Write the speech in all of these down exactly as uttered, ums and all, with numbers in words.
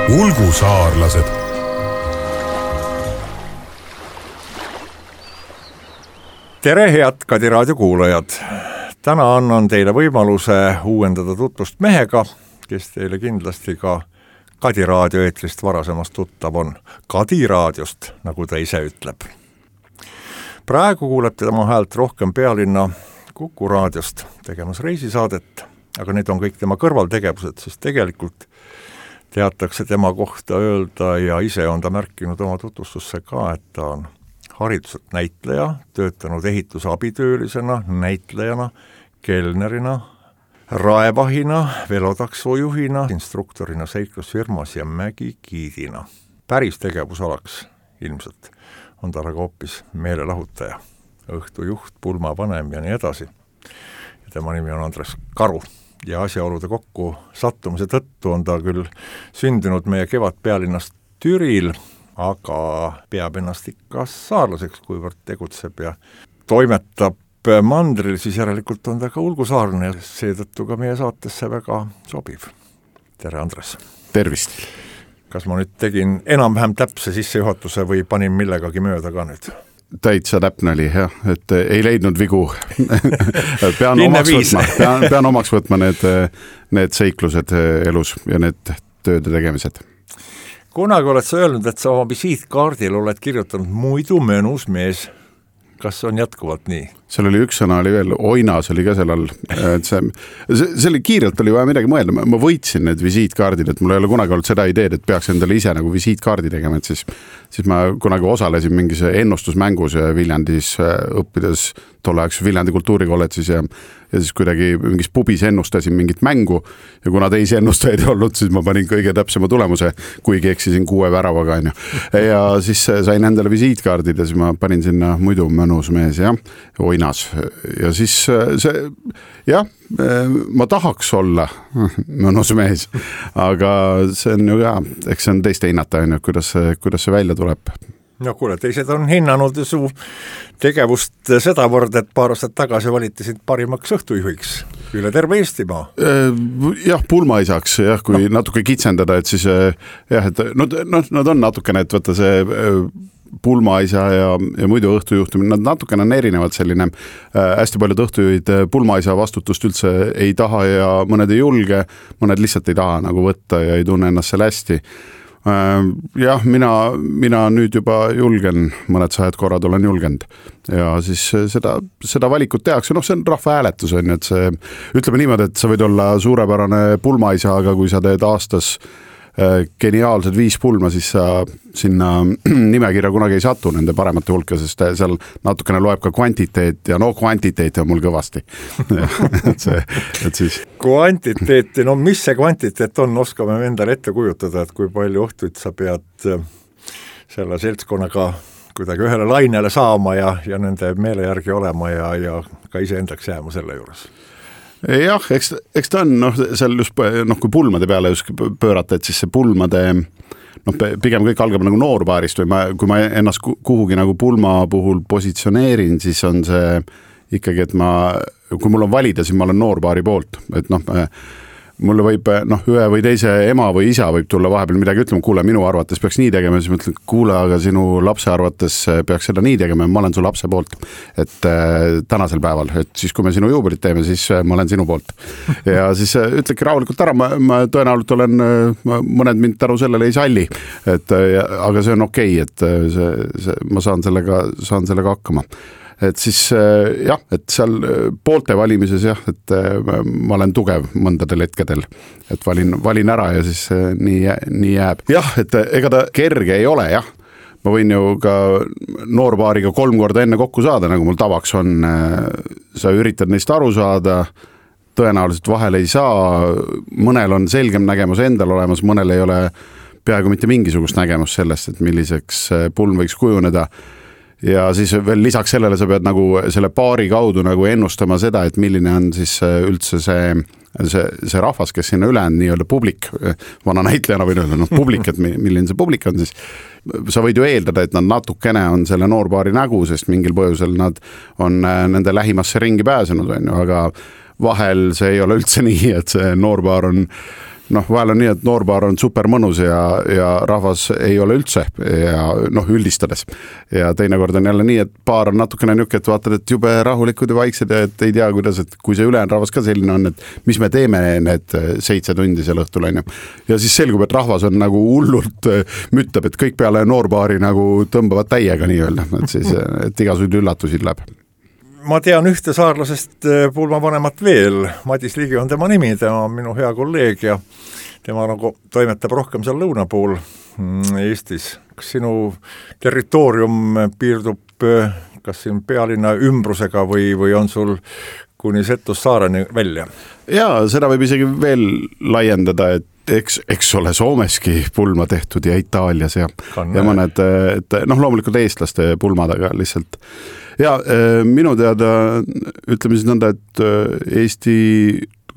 ulgusaarlased. Tere, head Kadi raadio kuulajad! Täna annan teile võimaluse uuendada tutvust mehega, kes teile kindlasti ka Kadi raadio eetrist varasemast tuttav on. Kadi raadiost, nagu ta ise ütleb. Praegu kuuleb tema häält rohkem Pealinna Kuku raadiost tegemas reisisaadet, aga need on kõik tema kõrvaltegevused, siis tegelikult teatakse tema kohta öelda ja ise on ta märkinud oma tutvustusse ka, et ta on hariduselt näitleja, töötanud ehitusabitöölisena, näitlejana, kelnerina, raevahina, velotaksojuhina, instruktorina seiklusfirmas ja mägigiidina. Päris tegevusalaks ilmselt on ta aga hoopis meelelahutaja, õhtujuht, pulmavanem ja nii edasi. Ja tema nimi on Andres Karu ja asjaolude kokku sattumise tõttu on ta küll sündinud meie kevad pealinnast Türil, aga peab ennast ikka saarlaseks, kuivõrd tegutseb ja toimetab mandril, siis järelikult on ta ka ulgusaarne ja seetõttu ka meie saatesse väga sobiv. Tere, Andres! Tervist! Kas ma nüüd tegin enam-vähem täpse sissejuhatuse või panin millegagi mööda ka nüüd? Täitsa täpne oli, jah, et ei leidnud vigu. pean, omaks võtma, pean, pean omaks võtma need, need seiklused elus ja need tööde tegemised. Kunagi oled sa öelnud, et sa oma visiitkaardil oled kirjutanud muidu mõnus mees. Kas on jätkuvalt nii? Seal oli üks sõna, oli veel, oinas oli ka seal all. Et see, see, see oli kiirelt oli vaja midagi mõelda. Ma võitsin need visiitkaardid, et mul ei ole kunagi olnud seda ideed, et peaks endale ise nagu visiitkaardi tegema, et siis, siis ma kunagi osalesin mingis ennustusmängus Viljandis õppides tolleaegses Viljandi kultuurikolledžis ja, ja siis kuidagi mingis pubis ennustasin mingit mängu ja kuna teisi ennustajaid ei olnud, siis ma panin kõige täpsema tulemuse, kuigi eksisin kuue väravaga. Ja siis sain endale visiitkaardid ja siis ma panin sinna muidu mõnus mees ja oinas. Ja siis see, jah, ma tahaks olla mõnus mees, aga see on ju ka, eks see on teiste hinnata, kuidas, kuidas see välja tuleb. No kuule, teised on hinnanud su tegevust sedavõrd, et paar aastat tagasi valitisid parimaks õhtujuhiks üle terve Eestimaa. Jah, pulmaisaks, jah, kui no. natuke kitsendada, et siis jah, et no, no, nad on natukene, et võtta see pulmaisa ja, ja muidu õhtujuhtumine, nad natukene on erinevad selline, äh, hästi paljud õhtujuhid pulmaisa vastutust üldse ei taha ja mõned ei julge, mõned lihtsalt ei taha nagu võtta ja ei tunne ennast seal hästi. Jah, mina, mina nüüd juba julgen, mõned sajad korrad olen julgenud ja siis seda, seda valikut tehakse, noh see on rahva hääletus, on, et see, ütleme niimoodi, et sa võid olla suurepärane pulmaisa, aga kui sa teed aastas geniaalsed viis pulma, siis sa sinna nimekirja kunagi ei satu nende paremate hulka, sest seal natukene loeb ka kvantiteet ja no kvantiteet on mul kõvasti. et see, et siis... Kvantiteeti, no mis see kvantiteet on, oskame endale ette kujutada, et kui palju ohtuid sa pead selle seltskonnaga kuidagi ühele lainele saama ja, ja nende meele järgi olema ja, ja ka iseendaks jääma selle juures. Jah, eks, eks ta on, noh, seal just, noh, kui pulmade peale just pöörata, et siis see pulmade, noh, pigem kõik algab nagu noorpaarist või ma, kui ma ennast kuhugi nagu pulma puhul positsioneerin, siis on see ikkagi, et ma, kui mul on valida, siis ma olen noorpaari poolt, et noh, mulle võib, noh, ühe või teise ema või isa võib tulla vahepeal midagi ütlema, kuule, minu arvates peaks nii tegema, siis ma ütlen, kuule, aga sinu lapse arvates peaks seda nii tegema ja ma olen su lapse poolt, et äh, tänasel päeval, et siis kui me sinu juubelit teeme, siis ma olen sinu poolt. Ja siis äh, ütleki rahulikult ära, ma, ma tõenäoliselt olen, ma, mõned mind tänu sellele ei salli, et, äh, aga see on okei, et see, see, ma saan sellega, saan sellega hakkama. Et siis jah, et seal poolte valimises jah, et ma olen tugev mõndadel hetkedel, et valin, valin ära ja siis nii, nii jääb. Jah, et ega ta kerge ei ole, jah. Ma võin ju ka noorpaariga kolm korda enne kokku saada, nagu mul tavaks on. Sa üritad neist aru saada, tõenäoliselt vahel ei saa, mõnel on selgem nägemus endal olemas, mõnel ei ole peaaegu mitte mingisugust nägemus sellest, et milliseks pulm võiks kujuneda. Ja siis veel lisaks sellele sa pead nagu selle paari kaudu nagu ennustama seda, et milline on siis üldse see, see, see rahvas, kes sinna üle on nii-öelda publik, vana näitlejana võin öelda, no publik, et milline see publik on siis. Sa võid ju eeldada, et nad natukene on selle noorpaari nägu, sest mingil põhjusel nad on nende lähimasse ringi pääsenud, aga vahel see ei ole üldse nii, et see noorpaar on noh, vahel on nii, et noorpaar on super mõnus ja, ja rahvas ei ole üldse ja noh, üldistades. Ja teinekord on jälle nii, et paar on natukene niuke, et vaatad, et jube rahulikud ja vaiksed ja et ei tea, kuidas, et kui see ülejäänud rahvas ka selline on, et mis me teeme need seitse tundi seal õhtul on ju. Ja siis selgub, et rahvas on nagu hullult müttab, et kõik peale noorpaari nagu tõmbavad täiega nii-öelda, et siis, et igasuguseid üllatusi läheb. Ma tean ühte saarlasest pulmavanemat veel, Madis Ligi on tema nimi, tema on minu hea kolleeg ja tema nagu toimetab rohkem seal lõuna pool Eestis. Kas sinu territoorium piirdub kas siin pealinna ümbrusega või, või on sul kuni Setus-Saareni välja? Jaa, seda võib isegi veel laiendada, et eks, eks ole Soomeski pulma tehtud ja Itaalias ja, ja mõned, et noh, loomulikult eestlaste pulmadega lihtsalt. Ja minu teada, ütleme siis nõnda, et Eesti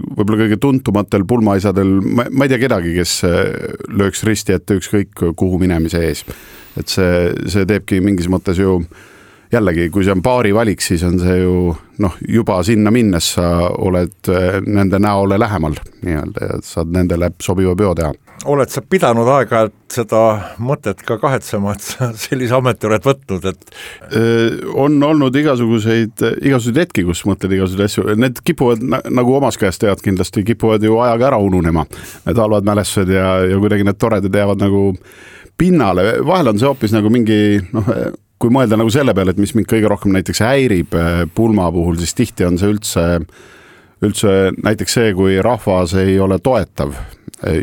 võib-olla kõige tuntumatel pulmaisadel, ma, ma ei tea kedagi, kes lööks risti ette ükskõik kuhu minemise ees. Et see, see teebki mingis mõttes ju jällegi, kui see on paari valik, siis on see ju noh, juba sinna minnes sa oled nende näole lähemal nii-öelda ja saad nendele sobiva peo teha. Oled sa pidanud aega, et seda mõtet ka kahetsema, et sa sellise ameti oled võtnud, et on olnud igasuguseid, igasuguseid hetki, kus mõtled igasuguseid asju. Need kipuvad, nagu omas käest tead kindlasti, kipuvad ju ajaga ära ununema. Need halvad mälestused ja, ja kuidagi need toredad jäävad nagu pinnale. Vahel on see hoopis nagu mingi, noh, kui mõelda nagu selle peale, et mis mind kõige rohkem näiteks häirib pulma puhul, siis tihti on see üldse, üldse näiteks see, kui rahvas ei ole toetav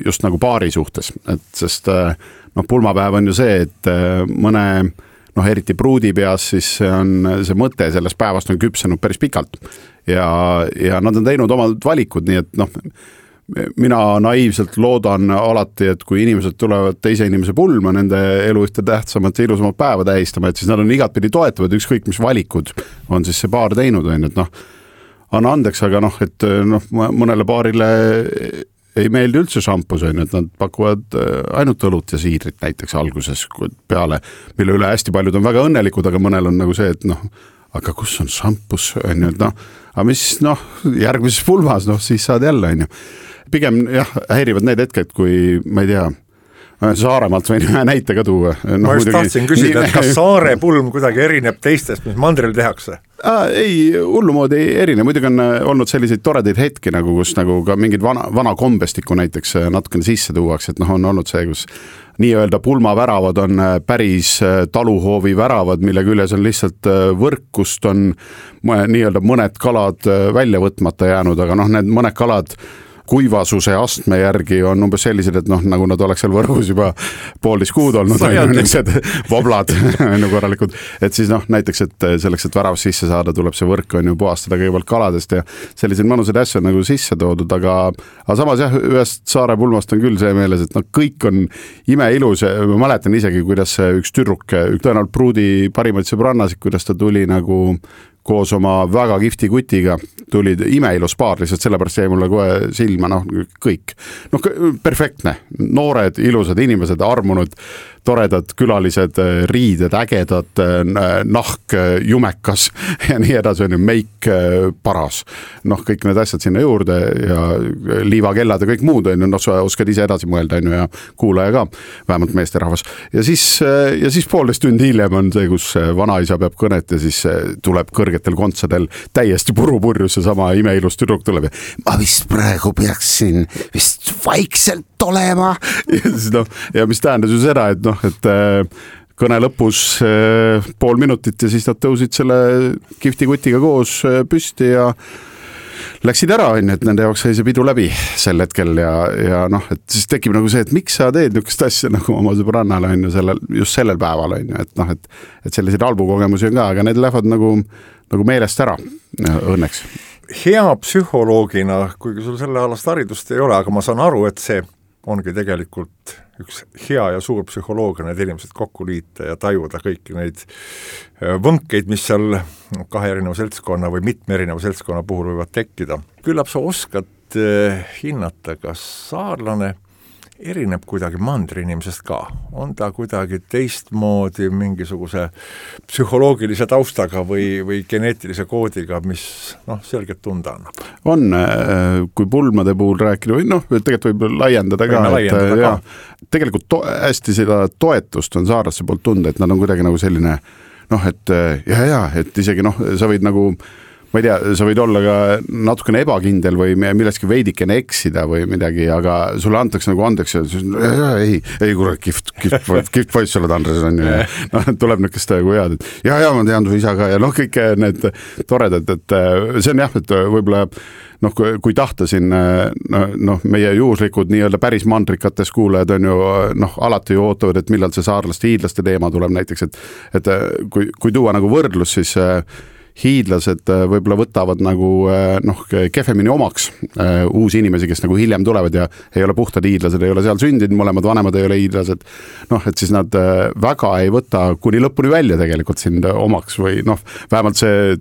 just nagu paari suhtes, et sest noh, pulmapäev on ju see, et mõne noh, eriti pruudi peas, siis on see mõte sellest päevast on küpsenud päris pikalt ja, ja nad on teinud omad valikud, nii et noh, mina naiivselt loodan alati, et kui inimesed tulevad teise inimese pulma nende elu ühte tähtsamat ja ilusamat päeva tähistama, et siis nad on igatpidi toetavad, ükskõik mis valikud on siis see paar teinud, on, et noh, anna andeks, aga noh, et noh, mõnele paarile ei meeldi üldse šampus, on, et nad pakuvad ainult õlut ja siidrit näiteks alguses peale, mille üle hästi paljud on väga õnnelikud, aga mõnel on nagu see, et noh, aga kus on šampus, on ju, et noh, aga mis noh, järgmises pulmas, noh, siis saad jälle, on ju. Pigem jah, häirivad need hetked, kui ma ei tea, Saaremaalt võin ühe näite ka tuua. No, ma just tahtsin küsida, et kas Saare pulm kuidagi erineb teistest, mis mandril tehakse? Ah, ei, hullumoodi ei erine. Muidugi on olnud selliseid toredaid hetki, nagu, kus nagu ka mingid vana, vana kombestikku näiteks natukene sisse tuuaks, et noh, on olnud see, kus nii-öelda pulmaväravad on päris taluhoovi väravad, mille küljes on lihtsalt võrk, kust on nii-öelda mõned kalad välja võtmata jäänud, aga noh, need mõned kalad kuivasuse astme järgi on umbes sellised, et noh, nagu nad oleks seal võrgus juba poolteist kuud olnud, voblad nagu korralikud, et siis noh, näiteks, et selleks, et värav sisse saada, tuleb see võrk on ju puhastada kõigepealt kaladest ja selliseid mõnusaid asju on nagu sisse toodud, aga, aga samas jah, ühest Saare pulmast on küll see meeles, et noh, kõik on imeilus ja ma mäletan isegi, kuidas üks tüdruk, tõenäoliselt pruudi parimaid sõbrannasid, kuidas ta tuli nagu koos oma väga kihvti kutiga tulid imeilus paar, lihtsalt sellepärast jäi mulle kohe silma, noh, kõik. Noh, perfektne, noored, ilusad inimesed, armunud, toredad külalised, riided, ägedad, nahk, jumekas ja nii edasi on ju, meik paras. Noh, kõik need asjad sinna juurde ja liivakellad ja kõik muud on ju, noh, sa oskad ise edasi mõelda on ju ja kuulaja ka, vähemalt meesterahvas. Ja siis, ja siis poolteist tundi hiljem on see, kus vanaisa peab kõnet ja siis tuleb kõrgetel kontsadel täiesti purupurjus ja sama imeilus tüdruk tuleb ja ma vist praegu peaksin vist vaikselt olema ja, siis, no, ja mis tähendas ju seda, et noh, et kõne lõpus pool minutit ja siis nad tõusid selle kihvti kutiga koos püsti ja läksid ära, on, et nende jaoks sai see pidu läbi sel hetkel ja, ja noh, et siis tekib nagu see, et miks sa teed niisugust asja nagu oma sõbrannale on ju sellel, just sellel päeval on ju, et noh, et, et selliseid halbu kogemusi on ka, aga need lähevad nagu, nagu meelest ära õnneks. Hea psühholoogina, kuigi sul selle alast haridust ei ole, aga ma saan aru, et see ongi tegelikult üks hea ja suur psühholoogia, need inimesed kokku liita ja tajuda kõiki neid võnkeid, mis seal kahe erineva seltskonna või mitme erineva seltskonna puhul võivad tekkida. Küllap sa oskad hinnata, kas saarlane erineb kuidagi mandri inimesest ka, on ta kuidagi teistmoodi mingisuguse psühholoogilise taustaga või, või geneetilise koodiga, mis noh, selgelt tunda annab. On, kui pulmade puhul rääkida või noh, tegelikult võib laiendada ka, laiendada et ka. Ja, tegelikult to, hästi seda toetust on saarlaste poolt tunda, et nad on kuidagi nagu selline noh, et ja, ja, et isegi noh, sa võid nagu ma ei tea, sa võid olla ka natukene ebakindel või milleski veidikene eksida või midagi, aga sulle antakse nagu andeks ja siis, ei, ei kurat, kift, kift, kift poiss oled Andres on ju. No, tuleb niisugust nagu head, et ja, ja ma tean su isa ka ja noh, kõik need toredad, et see on jah, et võib-olla noh, kui tahta siin noh, meie juhuslikud nii-öelda päris mandrikates kuulajad on ju noh, alati ju ootavad, et millal see saarlaste hiidlaste teema tuleb näiteks, et, et kui, kui tuua nagu võrdlus, siis hiidlased võib-olla võtavad nagu noh, kehvemini omaks uh, uusi inimesi, kes nagu hiljem tulevad ja ei ole puhtad hiidlased, ei ole seal sündinud, mõlemad vanemad ei ole hiidlased. Noh, et siis nad väga ei võta kuni lõpuni välja tegelikult sind omaks või noh, vähemalt see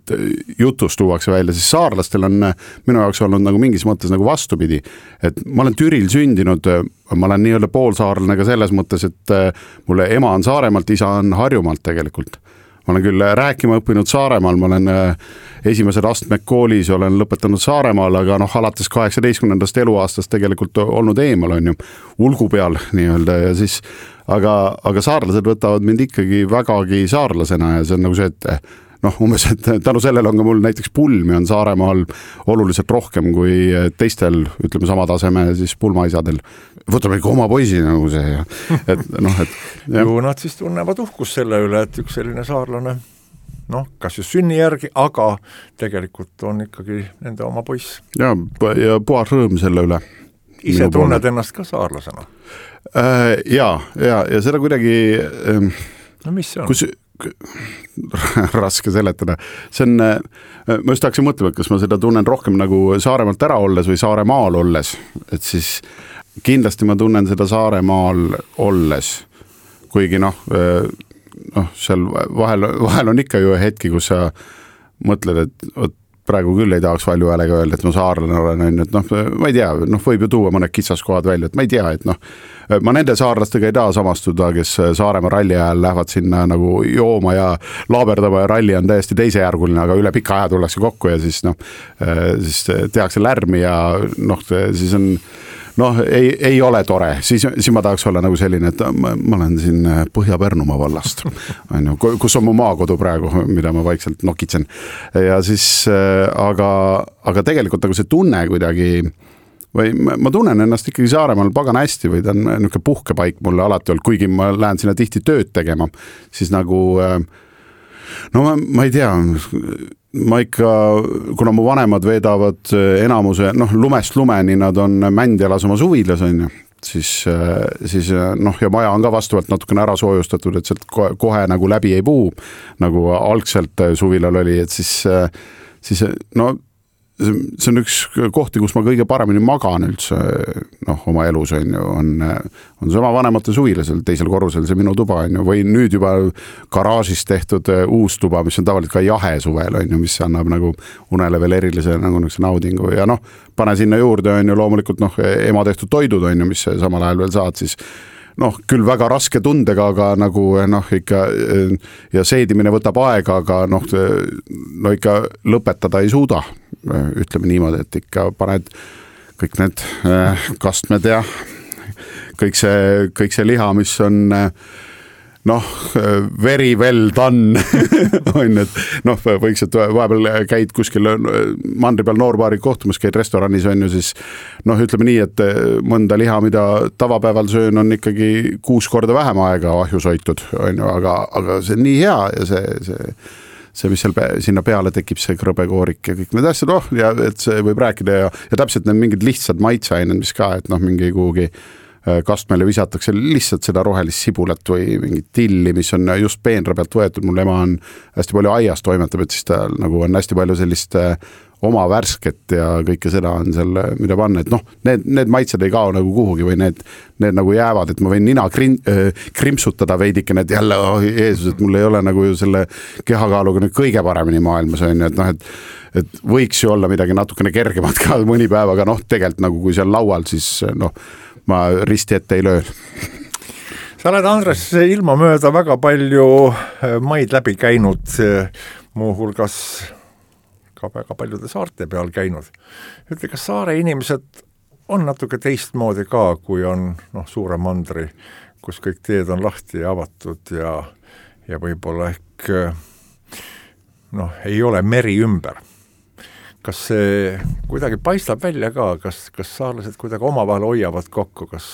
jutus tuuakse välja, siis saarlastel on minu jaoks olnud nagu mingis mõttes nagu vastupidi, et ma olen Türil sündinud, ma olen nii-öelda poolsaarlane ka selles mõttes, et mulle ema on Saaremaalt, isa on Harjumaalt tegelikult. Ma olen küll rääkima õppinud Saaremaal, ma olen esimesed astmed koolis, olen lõpetanud Saaremaal, aga noh, alates kaheksateistkümnendast eluaastast tegelikult olnud eemal, on ju, ulgu peal nii-öelda ja siis, aga, aga saarlased võtavad mind ikkagi vägagi saarlasena ja see on nagu see, et noh, umbes, et tänu sellele on ka mul näiteks pulmi on Saaremaal oluliselt rohkem kui teistel, ütleme sama taseme siis pulmaisadel. Võtame ikka oma poisi nagu see ja et noh, et ja. Ju nad siis tunnevad uhkus selle üle, et üks selline saarlane noh, kas just sünni järgi, aga tegelikult on ikkagi nende oma poiss. Ja, ja puhas rõõm selle üle. Ise tunned poole. Ennast ka saarlasena? Äh, ja, ja, ja seda kuidagi ähm, no mis see on? Kus raske seletada. See on, ma just tahaksin mõtlema, et kas ma seda tunnen rohkem nagu Saaremaalt ära olles või Saaremaal olles, et siis kindlasti ma tunnen seda Saaremaal olles, kuigi noh, noh seal vahel, vahel on ikka ju hetki, kus sa mõtled, et praegu küll ei tahaks valju häälega öelda, et ma saarlane olen, et noh, ma ei tea, noh, võib ju tuua mõned kitsaskohad välja, et ma ei tea, et noh, ma nende saarlastega ei taha samastuda, kes Saaremaa ralli ajal lähevad sinna nagu jooma ja laaberdama ja ralli on täiesti teisejärguline, aga üle pika aja tullakse kokku ja siis noh, siis tehakse lärmi ja noh, siis on noh, ei, ei ole tore, siis, siis ma tahaks olla nagu selline, et ma, ma olen siin Põhja-Pärnumaa vallast, on ju, kus on mu maakodu praegu, mida ma vaikselt nokitsen. Ja siis, aga, aga tegelikult nagu see tunne kuidagi, või ma tunnen ennast ikkagi Saaremaal pagan hästi või ta on niisugune puhkepaik mulle alati olnud, kuigi ma lähen sinna tihti tööd tegema, siis nagu no ma, ma ei tea, ma ikka, kuna mu vanemad veedavad enamuse, noh, lumest lumeni nad on Mändjalas oma suvilas, on ju, siis, siis noh, ja maja on ka vastavalt natukene ära soojustatud, et sealt kohe, kohe nagu läbi ei puu, nagu algselt suvilal oli, et siis, siis no see on üks kohti, kus ma kõige paremini magan üldse noh, oma elus on ju, on, on sama vanemate suvilasel, teisel korrusel see minu tuba on ju, või nüüd juba garaažis tehtud uus tuba, mis on tavaliselt ka jahe suvel on ju, mis annab nagu unele veel erilise nagu naudingu ja noh, pane sinna juurde on ju loomulikult noh, ema tehtud toidud on ju, mis samal ajal veel saad, siis noh, küll väga raske tundega, aga nagu noh, ikka ja seedimine võtab aega, aga noh, no ikka lõpetada ei suuda, ütleme niimoodi, et ikka paned kõik need kastmed ja kõik see, kõik see liha, mis on noh, very well done on, et noh, võiks, et vahepeal käid kuskil mandri peal noorpaari kohtumas, käid restoranis on ju, siis noh, ütleme nii, et mõnda liha, mida tavapäeval söön, on ikkagi kuus korda vähem aega ahjus hoitud, on ju, aga, aga see on nii hea ja see, see see, mis seal sinna peale tekib, see krõbekoorik ja kõik need asjad, oh, ja et see võib rääkida ja, ja täpselt need mingid lihtsad maitseained, mis ka, et noh, mingi kuhugi kastmele visatakse lihtsalt seda rohelist sibulat või mingit tilli, mis on just peenra pealt võetud, mul ema on hästi palju aias toimetab, et siis ta nagu on hästi palju sellist oma värsket ja kõike seda on seal, mida panna, et noh, need, need maitsed ei kao nagu kuhugi või need, need nagu jäävad, et ma võin nina krim, krimpsutada veidikene, et jälle, oh Jeesus, et mul ei ole nagu ju selle kehakaaluga nüüd kõige paremini maailmas on ju, et noh, et et võiks ju olla midagi natukene kergemat ka mõni päev, aga noh, tegelikult nagu kui seal laual, siis noh, ma risti ette ei löö. Sa oled, Andres, ilma mööda väga palju maid läbi käinud, muuhulgas ka väga paljude saarte peal käinud. Ütle, kas saare inimesed on natuke teistmoodi ka, kui on noh, suure mandri, kus kõik teed on lahti ja avatud ja, ja võib-olla ehk noh, ei ole meri ümber. Kas see kuidagi paistab välja ka, kas, kas saarlased kuidagi omavahel hoiavad kokku, kas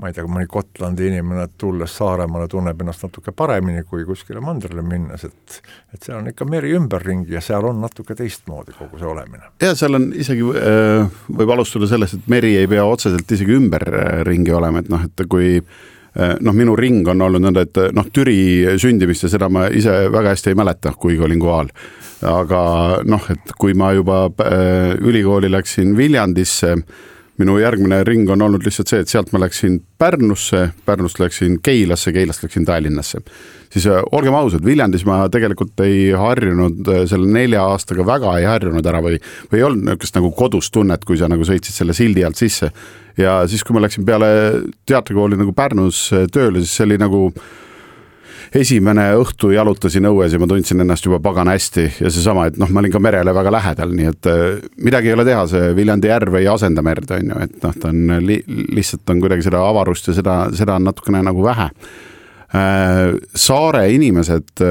ma ei tea, mõni Gotlandi inimene tulles Saaremaale tunneb ennast natuke paremini kui kuskile mandrile minnes, et, et seal on ikka meri ümberringi ja seal on natuke teistmoodi kogu see olemine. Ja seal on isegi, võib alustada sellest, et meri ei pea otseselt isegi ümberringi olema, et noh, et kui noh, minu ring on olnud nõnda, et noh, Türi sündimist ja seda ma ise väga hästi ei mäleta, kuigi olin kohal. Aga noh, et kui ma juba ülikooli läksin Viljandisse, minu järgmine ring on olnud lihtsalt see, et sealt ma läksin Pärnusse, Pärnust läksin Keilasse, Keilast läksin Tallinnasse. Siis olgem ausad, Viljandis ma tegelikult ei harjunud selle nelja aastaga väga ei harjunud ära või, või ei olnud niisugust nagu kodus tunnet, kui sa nagu sõitsid selle sildi alt sisse. Ja siis, kui ma läksin peale teatrikooli nagu Pärnus tööle, siis see oli nagu esimene õhtu jalutasin õues ja ma tundsin ennast juba pagana hästi ja seesama, et noh, ma olin ka merele väga lähedal, nii et midagi ei ole teha, see Viljandi järv ei asenda merd, on ju, et noh, ta on li, lihtsalt on kuidagi seda avarust ja seda, seda on natukene nagu vähe. Saare inimesed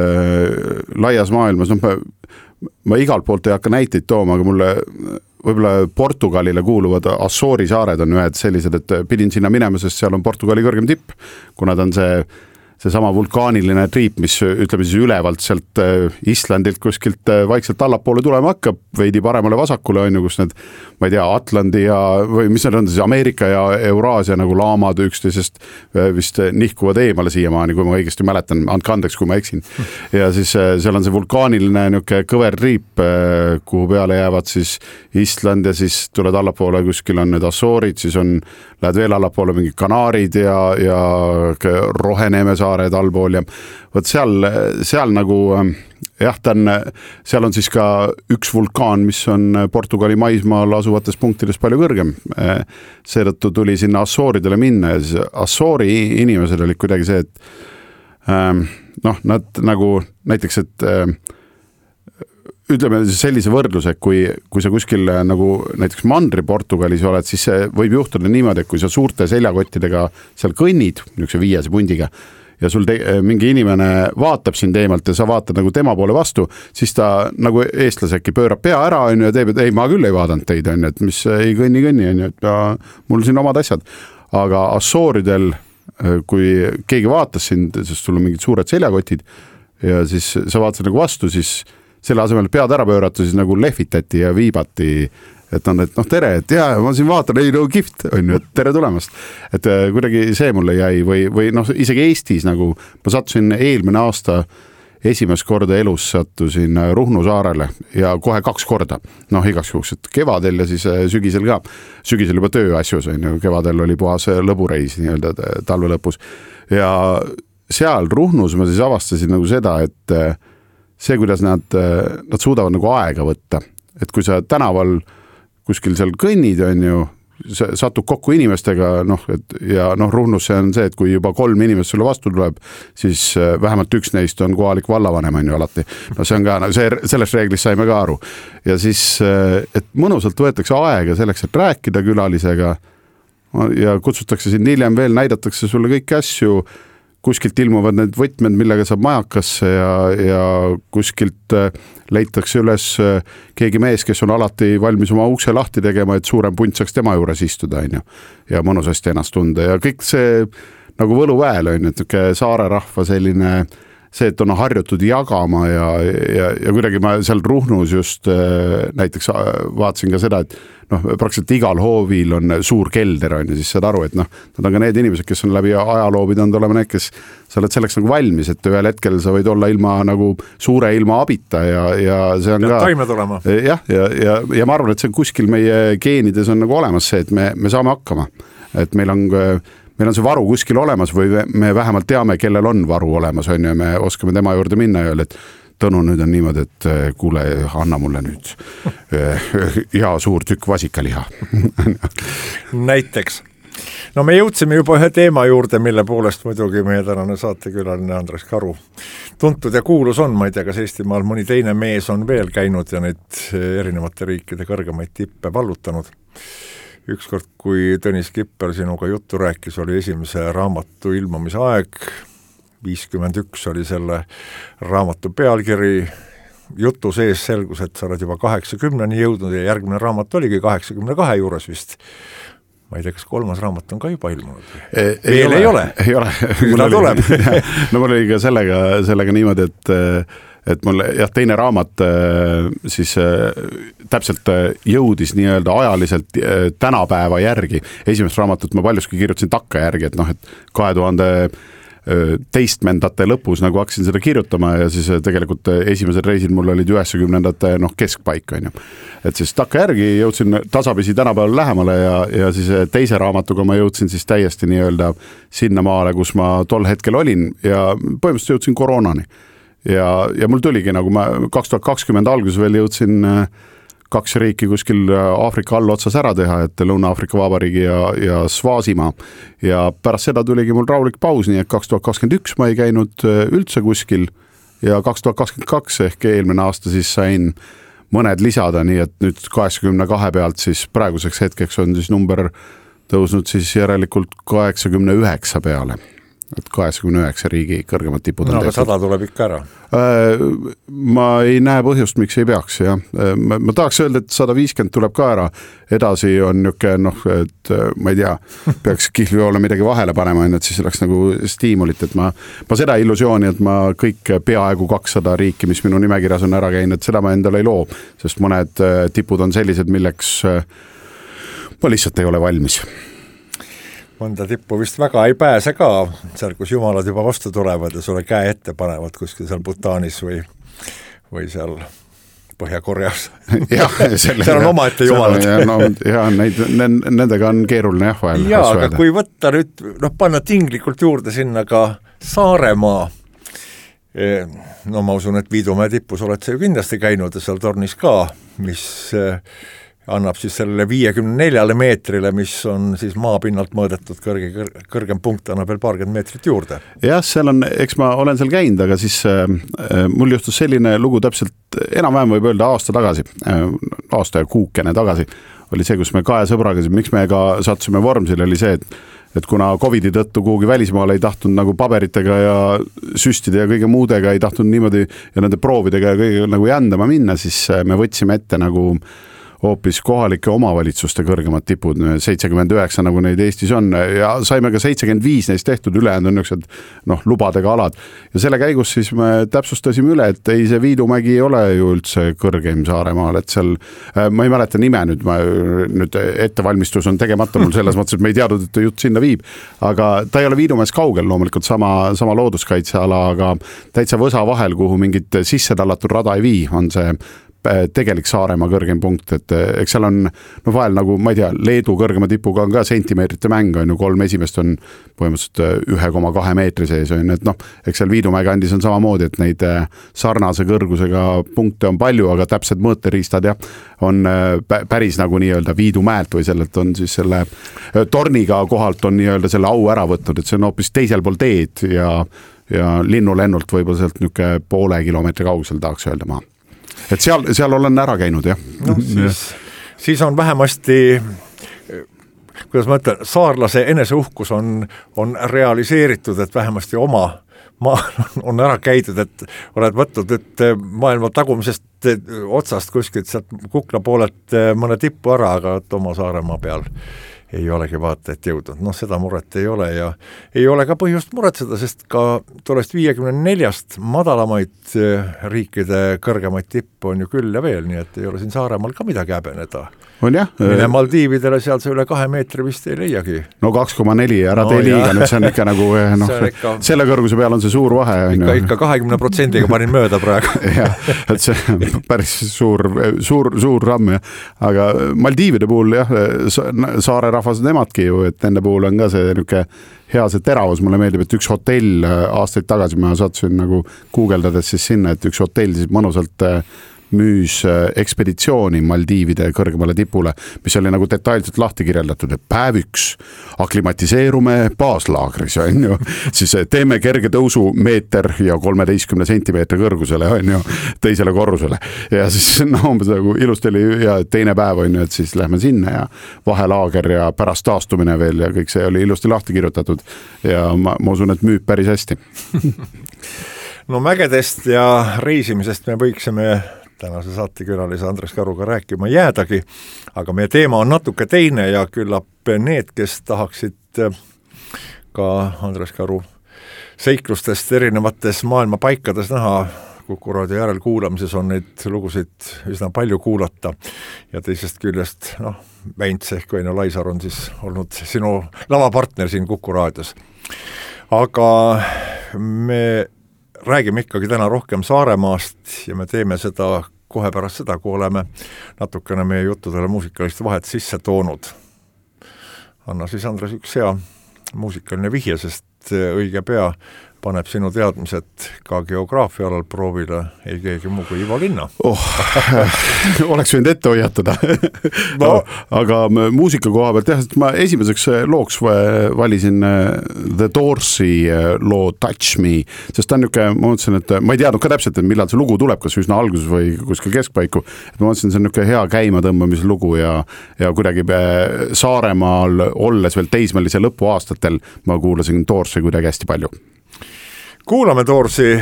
laias maailmas, noh, ma, ma igalt poolt ei hakka näiteid tooma, aga mulle võib-olla Portugalile kuuluvad Assoori saared on ühed sellised, et pidin sinna minema, sest seal on Portugali kõrgem tipp, kuna ta on see see sama vulkaaniline triip, mis ütleme siis ülevalt sealt Islandilt kuskilt vaikselt allapoole tulema hakkab, veidi paremale vasakule on ju, kus need, ma ei tea, Atlandi ja, või mis need on siis Ameerika ja Euraasia nagu laamad üksteisest vist nihkuvad eemale siiamaani, kui ma õigesti mäletan, andke andeks, kui ma eksin. Ja siis seal on see vulkaaniline niuke kõver triip, kuhu peale jäävad siis Island ja siis tuled allapoole, kuskil on need Assoorid, siis on, lähed veel allapoole mingi Kanaarid ja, ja Roheneeme saared allpool ja võt seal, seal nagu jah, ta on, seal on siis ka üks vulkaan, mis on Portugali maismaal asuvates punktides palju kõrgem. Seetõttu tuli sinna Assooridele minna ja siis Assoori inimesed olid kuidagi see, et noh, nad nagu näiteks, et ütleme sellise võrdluse, kui, kui sa kuskil nagu näiteks mandri Portugalis oled, siis see võib juhtuda niimoodi, et kui sa suurte seljakottidega seal kõnnid, niisuguse viiese pundiga, ja sul te, mingi inimene vaatab sind eemalt ja sa vaatad nagu tema poole vastu, siis ta nagu eestlase äkki pöörab pea ära on ju, ja teeb, et ei, ma küll ei vaadanud teid, on ju, et mis ei kõnni kõnni, on ju, et ja, mul siin omad asjad. Aga Assooridel, kui keegi vaatas sind, sest sul on mingid suured seljakotid ja siis sa vaatasid nagu vastu, siis selle asemel pead ära pöörata, siis nagu lehvitati ja viibati, et on, et noh, tere, et jaa, ma siin vaatan, ei no kihvt, on ju, et tere tulemast. Et kuidagi see mulle jäi või, või noh, isegi Eestis nagu, ma sattusin eelmine aasta esimest korda elus sattusin Ruhnu saarele ja kohe kaks korda, noh igaks juhuks, et kevadel ja siis sügisel ka, sügisel juba tööasjus, on ju, kevadel oli puhas lõbureis nii-öelda talve lõpus ja seal Ruhnus ma siis avastasin nagu seda, et see, kuidas nad, nad suudavad nagu aega võtta, et kui sa tänaval kuskil seal kõnnid, on ju, satub kokku inimestega, noh, et ja noh, Ruhnus see on see, et kui juba kolm inimest sulle vastu tuleb, siis vähemalt üks neist on kohalik vallavanem, on ju alati. No see on ka, see, sellest reeglist saime ka aru. Ja siis, et mõnusalt võetakse aega selleks, et rääkida külalisega ja kutsutakse sind hiljem veel, näidatakse sulle kõiki asju, kuskilt ilmuvad need võtmed, millega saab majakasse ja, ja kuskilt leitakse üles keegi mees, kes on alati valmis oma ukse lahti tegema, et suurem punt saaks tema juures istuda, on ju, ja mõnusasti ennast tunda ja kõik see nagu võluväel on, et saare rahva selline see, et on harjutud jagama ja, ja, ja kuidagi ma seal Ruhnus just näiteks vaatasin ka seda, et noh, praktiliselt igal hoovil on suur kelder on ja siis saad aru, et noh, nad on ka need inimesed, kes on läbi ajaloo pidanud olema need, kes sa oled selleks nagu valmis, et ühel hetkel sa võid olla ilma nagu suure ilma abita ja, ja see on ja ka taime tulema. jah, ja, ja, ja ma arvan, et see kuskil meie geenides on nagu olemas see, et me, me saame hakkama, et meil on meil on see varu kuskil olemas või me vähemalt teame, kellel on varu olemas, on ja me oskame tema juurde minna ja öelda, et Tõnu, nüüd on niimoodi, et kuule, anna mulle nüüd hea suur tükk vasikaliha. Näiteks. no me jõudsime juba ühe teema juurde, mille poolest muidugi meie tänane saatekülaline Andres Karu tuntud ja kuulus on, ma ei tea, kas Eestimaal mõni teine mees on veel käinud ja neid erinevate riikide kõrgemaid tippe vallutanud. Ükskord, kui Tõnis Kipper sinuga juttu rääkis, oli esimese raamatu ilmumise aeg, viiskümmend üks oli selle raamatu pealkiri, jutu sees selgus, et sa oled juba kaheksakümneni jõudnud ja järgmine raamat oligi kaheksakümne kahe juures vist. Ma ei tea, kas kolmas raamat on ka juba ilmunud? Ei, ei ole. Ei ole. Ei ole. Kuna tuleb. No mul oli ka sellega, sellega niimoodi, et, et mul jah, teine raamat siis täpselt jõudis nii-öelda ajaliselt tänapäeva järgi. Esimest raamatut ma paljuski kirjutasin takka järgi, et noh, et kahe tuhande teistmendate lõpus nagu hakkasin seda kirjutama ja siis tegelikult esimesel reisil mul olid üheksakümnendate noh, keskpaik on ju. Et siis takka järgi jõudsin tasapisi tänapäeval lähemale ja, ja siis teise raamatuga ma jõudsin siis täiesti nii-öelda sinna maale, kus ma tol hetkel olin ja põhimõtteliselt jõudsin koroonani. Ja, ja mul tuligi nagu ma kaks tuhat kakskümmend alguses veel jõudsin kaks riiki kuskil Aafrika all otsas ära teha, et Lõuna-Aafrika Vabariigi ja, ja Svaasimaa. Ja pärast seda tuligi mul rahulik paus, nii et kaks tuhat kakskümmend üks ma ei käinud üldse kuskil ja kaks tuhat kakskümmend kaks ehk eelmine aasta siis sain mõned lisada, nii et nüüd kaheksakümne kahe pealt siis praeguseks hetkeks on siis number tõusnud siis järelikult kaheksakümne üheksa peale. Et kaheksakümne üheksa riigi kõrgemad tipud on no, tehtud. sada tuleb ikka ära. Ma ei näe põhjust, miks ei peaks. Ja. Ma, ma tahaks öelda, et sada viiskümmend tuleb ka ära. Edasi on niuke, noh, et ma ei tea, peaks kihlvioole midagi vahele panema, et siis oleks nagu stiimulit. Et ma, ma seda illusiooni, et ma kõik peaaegu kakssada riiki, mis minu nimekirjas on ära käinud, seda ma endale ei loo. Sest mõned tipud on sellised, milleks ma lihtsalt ei ole valmis. Mõnda tippu vist väga ei pääse ka, seal kus jumalad juba vastu tulevad ja sulle käe ette panevad kuskil seal Bhutanis või, või seal Põhja-Koreas. seal on oma ette jumalad. Ja, no, ja neid, nendega on keeruline jah vahel. Ja, aga kui võtta nüüd, noh, panna tinglikult juurde sinna ka Saaremaa, no ma usun, et Viidumäe tippus oled sa ju kindlasti käinud ja seal tornis ka, mis annab siis sellele viiekümne neljale meetrile, mis on siis maapinnalt mõõdetud kõrge, kõrgem punkt, annab veel paarkümmend meetrit juurde. Jah, seal on, eks ma olen seal käinud, aga siis äh, mul juhtus selline lugu täpselt enam-vähem võib öelda aasta tagasi, äh, aasta ja kuukene tagasi, oli see, kus me kahe sõbraga, miks me ka sattusime Vormsil, oli see, et et kuna Covidi tõttu kuhugi välismaale ei tahtnud nagu paberitega ja süstide ja kõige muudega ei tahtnud niimoodi ja nende proovidega ja kõige nagu jändama minna, siis me võtsime ette nagu hoopis kohalike omavalitsuste kõrgemad tipud, seitsekümmend üheksa nagu neid Eestis on ja saime ka seitsekümmend viis neist tehtud, ülejäänud on niisugused noh, lubadega alad. Ja selle käigus siis me täpsustasime üle, et ei see Viidumägi ei ole ju üldse kõrgeim Saaremaal, et seal, ma ei mäleta nime nüüd, ma nüüd ettevalmistus on tegemata mul selles mõttes, et me ei teadnud, et jutt sinna viib, aga ta ei ole Viidumäes kaugel loomulikult sama, sama looduskaitseala, aga täitsa võsa vahel, kuhu mingit sisse tallatud rada ei vii, on see tegelik Saaremaa kõrgem punkt, et eks seal on no vahel nagu, ma ei tea, Leedu kõrgema tipuga on ka sentimeetrite mäng, on ju, kolm esimest on põhimõtteliselt ühe koma kahe meetri sees, on, et noh, eks seal Viidumäe kandis on samamoodi, et neid sarnase kõrgusega punkte on palju, aga täpsed mõõteriistad jah, on päris nagu nii-öelda Viidumäelt või sellelt on siis selle torniga kohalt on nii-öelda selle au ära võtnud, et see on hoopis teisel pool teed ja, ja linnulennult võib-olla sealt niisugune poole kilomeetri kaugusel tahaks öelda maa. Et seal, seal olen ära käinud, jah. No, siis, siis on vähemasti, kuidas ma ütlen, saarlase eneseuhkus on, on realiseeritud, et vähemasti oma maa on ära käidud, et oled võtnud nüüd maailma tagumisest otsast kuskilt sealt Kukla poolelt mõne tippu ära, aga oma Saaremaa peal ei olegi vaata, et jõudnud. Noh, seda muret ei ole ja ei ole ka põhjust muretseda, sest ka tollest viiekümne neljast madalamaid riikide kõrgemaid tippu on ju küll ja veel, nii et ei ole siin Saaremaal ka midagi häbeneda. On jah. Mine Maldiividele seal see üle kahe meetri vist ei leiagi. No kaks koma neli, ära no, tee liiga, nüüd see on ikka nagu, noh, ikka, selle kõrguse peal on see suur vahe. Ikka, ikka kahekümne protsendiga panin mööda praegu. jah, et see päris suur, suur, suur ramm, jah. Aga Maldiivide puhul, jah, saare rahvas nemadki ju, et nende puhul on ka see niisugune hea see teravus, mulle meeldib, et üks hotell aastaid tagasi ma sattusin nagu guugeldades siis sinna, et üks hotell siis mõnusalt müüs ekspeditsiooni Maldiivide kõrgemale tipule, mis oli nagu detailselt lahti kirjeldatud, et päev üks aklimatiseerume baaslaagris, on ju, siis teeme kerge tõusu meeter ja kolmeteistkümne sentimeetri kõrgusele, on ju, teisele korrusele. Ja siis no, nagu ilusti oli ja teine päev on ju, et siis lähme sinna ja vahelaager ja pärast taastumine veel ja kõik see oli ilusti lahti kirjutatud ja ma, ma usun, et müüb päris hästi. No mägedest ja reisimisest me võiksime tänase saatekülalise Andres Karuga rääkima jäädagi, aga meie teema on natuke teine ja küllap need, kes tahaksid ka Andres Karu seiklustest erinevates maailma paikades näha, Kuku raadio järelkuulamises on neid lugusid üsna palju kuulata ja teisest küljest, noh, Väints ehk Väino Laisar on siis olnud sinu lavapartner siin Kuku raadios. Aga me räägime ikkagi täna rohkem Saaremaast ja me teeme seda kohe pärast seda, kui oleme natukene meie juttudele muusikalist vahet sisse toonud. Anna siis, Andres, üks hea muusikaline vihje, sest õige pea paneb sinu teadmised ka geograafia alal proovile ei keegi muu kui Ivo Linna. Oh, oleks võinud ette hoiatada. No. Aga muusika koha pealt jah, et ma esimeseks looks valisin The Doorsi loo Touch Me, sest ta on niisugune, ma mõtlesin, et ma ei teadnud ka täpselt, et millal see lugu tuleb, kas üsna alguses või kuskil keskpaiku, et ma mõtlesin, see on niisugune hea käima tõmbamise lugu ja, ja kuidagi Saaremaal olles veel teismelise lõpuaastatel ma kuulasin Doorsi kuidagi hästi palju. Kuulame Doorsi,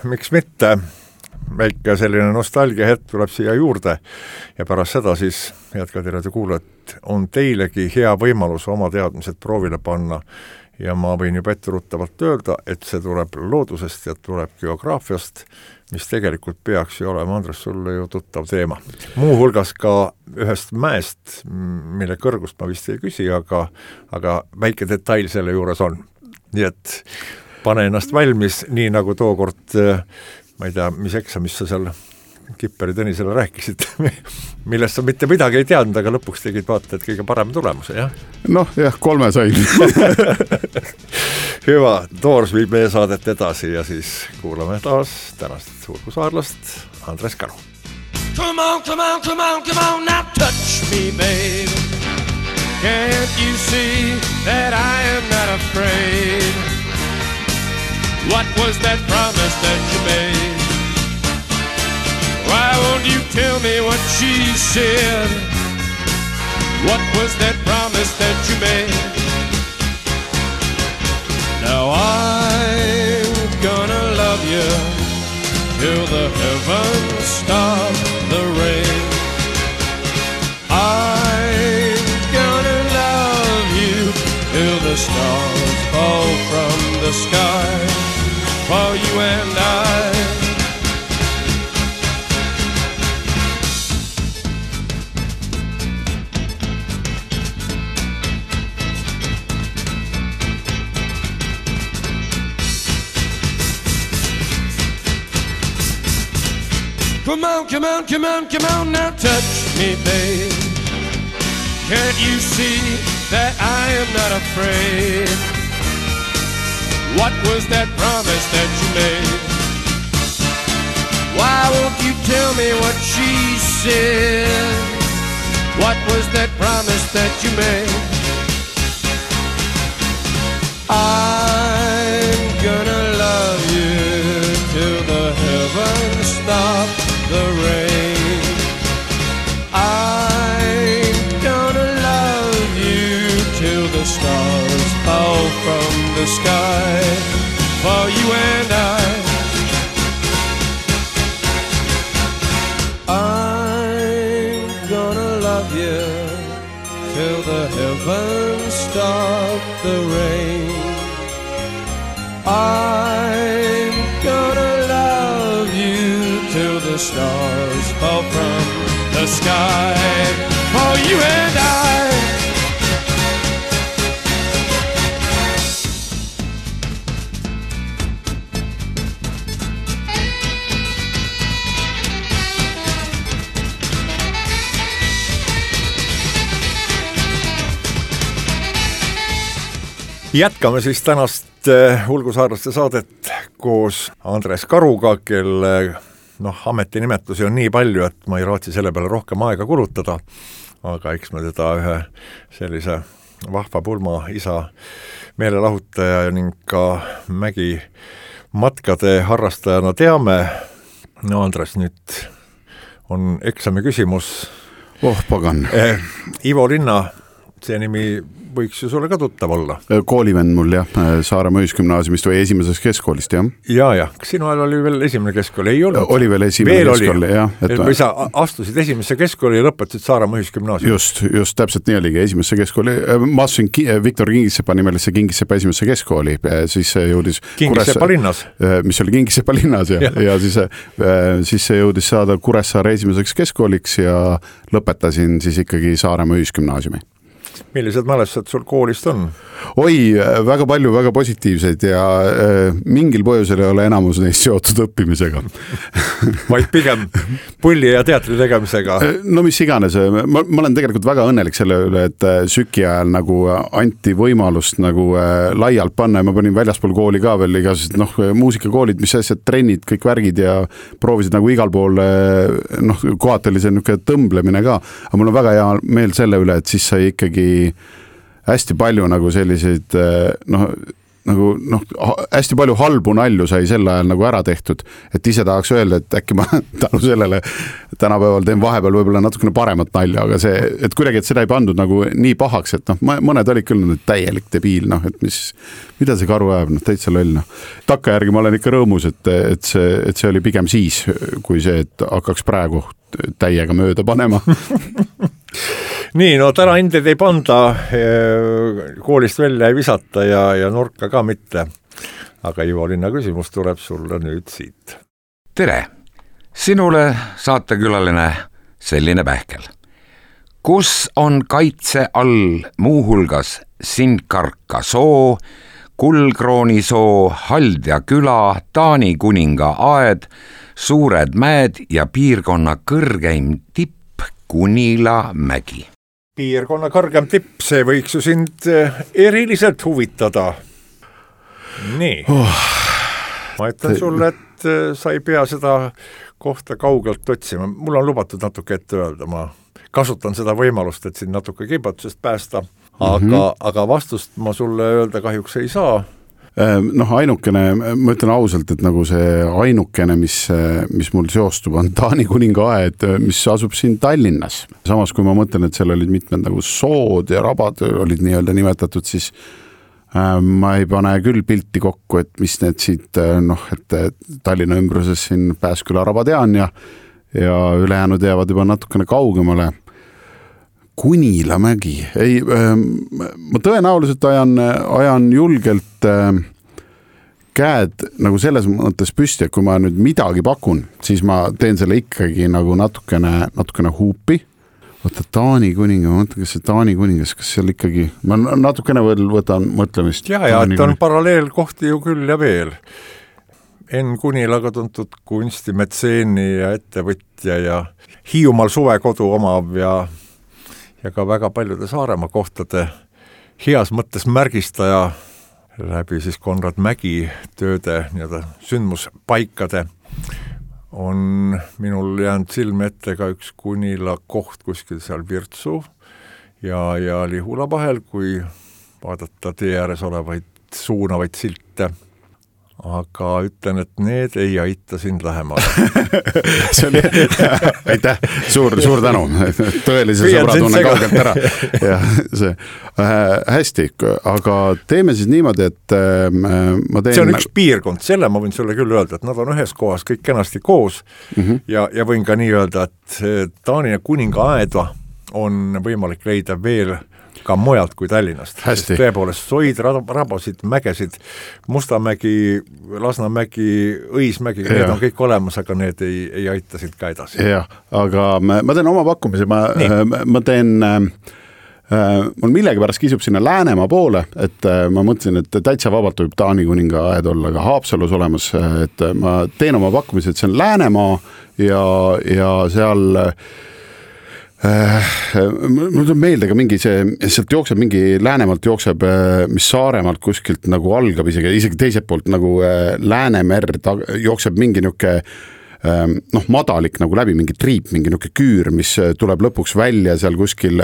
miks mitte, väike selline nostalgia hetk tuleb siia juurde ja pärast seda siis, head Kadiraadio kuulajad, on teilegi hea võimalus oma teadmised proovile panna ja ma võin juba etteruttavalt öelda, et see tuleb loodusest ja tuleb geograafiast, mis tegelikult peaks ju olema, Andres, sulle ju tuttav teema. Muu hulgas ka ühest mäest, mille kõrgust ma vist ei küsi, aga, aga väike detail selle juures on. Nii et pane ennast valmis, nii nagu tookord, ma ei tea, mis eksamis sa seal Kipperi Tõnisele rääkisid, millest sa mitte midagi ei teadnud, aga lõpuks tegid vaata, et kõige parem tulemuse, jah? Noh, jah, kolme sain. Hüva, Doors viib meie saadet edasi ja siis kuulame taas tänast suurkusaarlast Andres Karu. Come on, come on, come on, come on, now touch me, babe. Can't you see that I am not afraid? What was that promise that you made? Why won't you tell me what she said? What was that promise that you made? Now I'm gonna love you till the heavens stop the rain. I'm gonna love you till the stars fall from the sky. For you and I. Come on, come on, come on, come on, now touch me, babe. Can't you see that I am not afraid? What was that promise that you made? Why won't you tell me what she said? What was that promise that you made? I'm gonna love you till the heavens stop the rain. I'm gonna love you till the stars fall from the sky. For you and I. I'm gonna love you till the heavens stop the rain. I'm gonna love you till the stars fall from the sky. For you and I. Jätkame siis tänast Hulgusaarlaste saadet koos Andres Karuga, kelle noh, ametinimetusi on nii palju, et ma ei raatsi selle peale rohkem aega kulutada, aga eks me teda ühe sellise vahva pulma isa meelelahutaja ning ka mägi matkade harrastajana teame. No Andres, nüüd on eksami küsimus. Oh, pagan. Eh, Ivo Linna, see nimi võiks ju sulle ka tuttav olla. Koolivend mul jah, Saaremaa Ühisgümnaasiumist või esimesest keskkoolist, jah. Ja, ja. Kas sinu ajal oli veel esimene keskkool? Ei olnud? Oli veel esimene veel keskkool, jah. Et või sa astusid esimesse keskkooli ja lõpetasid Saaremaa Ühisgümnaasium? Just, just täpselt nii oligi esimesse keskkooli. Ma astusin Viktor Kingissepa nimelisse Kingissepa esimesse keskkooli, siis see jõudis Kingissepa linnas? Mis oli Kingissepa linnas ja, ja. ja siis, siis see jõudis saada Kuressaare esimeseks keskkooliks ja lõpetasin siis ikkagi Saaremaa Ühisgümnaasiumi. Millised mälestused sul koolist on? Oi, väga palju, väga positiivseid ja äh, mingil põhjusel ei ole enamus neist seotud õppimisega. Vaid pigem pulli ja teatri tegemisega? No mis iganes, ma, ma olen tegelikult väga õnnelik selle üle, et süki ajal nagu anti võimalust nagu äh, laialt panna ja ma panin väljaspool kooli ka veel igasugused noh, muusikakoolid, mis asjad, trennid, kõik värgid ja proovisid nagu igal pool äh, noh, kohati oli see niisugune tõmblemine ka, aga mul on väga hea meel selle üle, et siis sai ikkagi hästi palju nagu selliseid noh, nagu noh, hästi palju halbu nalju sai sel ajal nagu ära tehtud, et ise tahaks öelda, et äkki ma tänu sellele tänapäeval teen vahepeal võib-olla natukene paremat nalja, aga see, et kuidagi, et seda ei pandud nagu nii pahaks, et noh, mõned olid küll nüüd täielik debiil, noh, et mis, mida see karu ajab, noh, täitsa loll, noh. Takka järgi ma olen ikka rõõmus, et, et see, et see oli pigem siis, kui see, et hakkaks praegu täiega mööda panema. Nii, no täna hindeid ei panda, koolist välja ei visata ja, ja nurka ka mitte. Aga Ivo Linna küsimus tuleb sulle nüüd siit. Tere! Sinule saatekülaline selline pähkel. Kus on kaitse all muuhulgas Sindkarka soo, Kuldkrooni soo, Haldja küla, Taani kuninga aed, Suured mäed ja piirkonna kõrgeim tipp Kunila mägi. Piirkonna kõrgem tipp, see võiks ju sind eriliselt huvitada. Nii. Oh. Ma ütlen sulle, et sa ei pea seda kohta kaugelt otsima. Mul on lubatud natuke ette öelda. Ma kasutan seda võimalust, et sind natuke kibatusest päästa. Aga, mm-hmm. aga vastust ma sulle öelda kahjuks ei saa. Noh, ainukene, ma ütlen ausalt, et nagu see ainukene, mis, mis mul seostub, on Taani kuninga aed, mis asub siin Tallinnas. Samas, kui ma mõtlen, et seal olid mitmed nagu sood ja rabad olid nii-öelda nimetatud, siis äh, ma ei pane küll pilti kokku, et mis need siit, noh, et Tallinna ümbruses siin Pääsküla raba tean ja, ja ülejäänud jäävad juba natukene kaugemale. Kunila mägi. Ei, äh, ma tõenäoliselt ajan, ajan julgelt äh, käed nagu selles mõttes püsti, et kui ma nüüd midagi pakun, siis ma teen selle ikkagi nagu natukene, natukene huupi. Võtta Taani kuninga, ma mõtlen, kas see Taani kuningas, kas seal ikkagi, ma natukene võtan mõtlemist. Ja, ja, et on paralleelkohti ju küll ja veel. Enn Kunilaga tuntud kunstimetseeni ja ettevõtja ja Hiiumaal suvekodu omav ja ja ka väga paljude Saaremaa kohtade heas mõttes märgistaja läbi siis Konrad Mägi tööde nii-öelda sündmuspaikade on minul jäänud silme ette ka üks Kunila koht kuskil seal Virtsu ja, ja Lihula vahel, kui vaadata tee ääres olevaid suunavaid silte. Aga ütlen, et need ei aita sind lähemale. See oli, aitäh, suur, suur tänu. Tõelise sõbra tunnen kaugelt ära. Ja, see, äh, hästi, aga teeme siis niimoodi, et äh, ma teen... See on üks piirkond, selle ma võin sulle küll öelda, et nad on ühes kohas kõik kenasti koos mm-hmm. ja, ja võin ka nii öelda, et Taani ja kuninga aeda on võimalik leida veel ka mujalt kui Tallinnast. Tõepoolest soid, rabasid, mägesid, Mustamägi, Lasnamägi, Õismägi, need on kõik olemas, aga need ei, ei aita siit ka edasi. Jah, aga ma, ma teen oma pakkumise, ma, ma teen, äh, mul millegi pärast kisub sinna Läänemaa poole, et äh, ma mõtlesin, et täitsa vabalt võib Taani kuninga aed olla ka Haapsalus olemas, et ma teen oma pakkumise, et see on Läänemaa ja, ja seal mul tuleb meelde ka mingi see, sealt jookseb mingi Läänemalt jookseb, mis Saaremaalt kuskilt nagu algab isegi, isegi teiselt poolt nagu Läänemer jookseb mingi niuke noh, madalik nagu läbi mingi triip, mingi niuke küür, mis tuleb lõpuks välja seal kuskil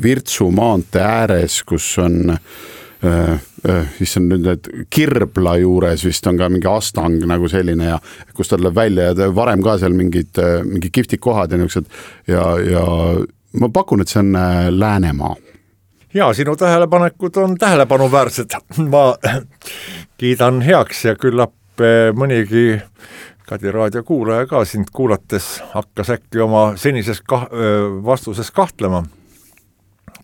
Virtsu maantee ääres, kus on äh, siis on nüüd need Kirbla juures vist on ka mingi astang nagu selline ja kus ta tuleb välja ja varem ka seal mingid, mingi kihvtid kohad ja niuksed ja, ja ma pakun, et see on Läänemaa. Ja, sinu tähelepanekud on tähelepanuväärsed. Ma kiidan heaks ja küllap mõnigi Kadi raadio kuulaja ka sind kuulates hakkas äkki oma senises kah- vastuses kahtlema.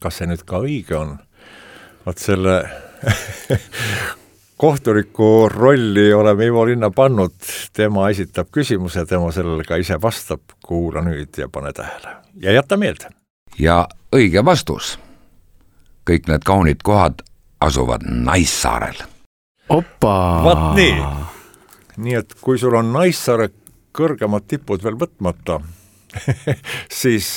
Kas see nüüd ka õige on? Vaat selle kohtuniku rolli oleme Ivo Linna pannud. Tema esitab küsimuse, tema sellele ka ise vastab. Kuula nüüd ja pane tähele. Ja jätta meelde. Ja õige vastus. Kõik need kaunid kohad asuvad Naissaarel. Opa! Vaat nii. Nii et kui sul on Naissaare kõrgemad tipud veel võtmata, siis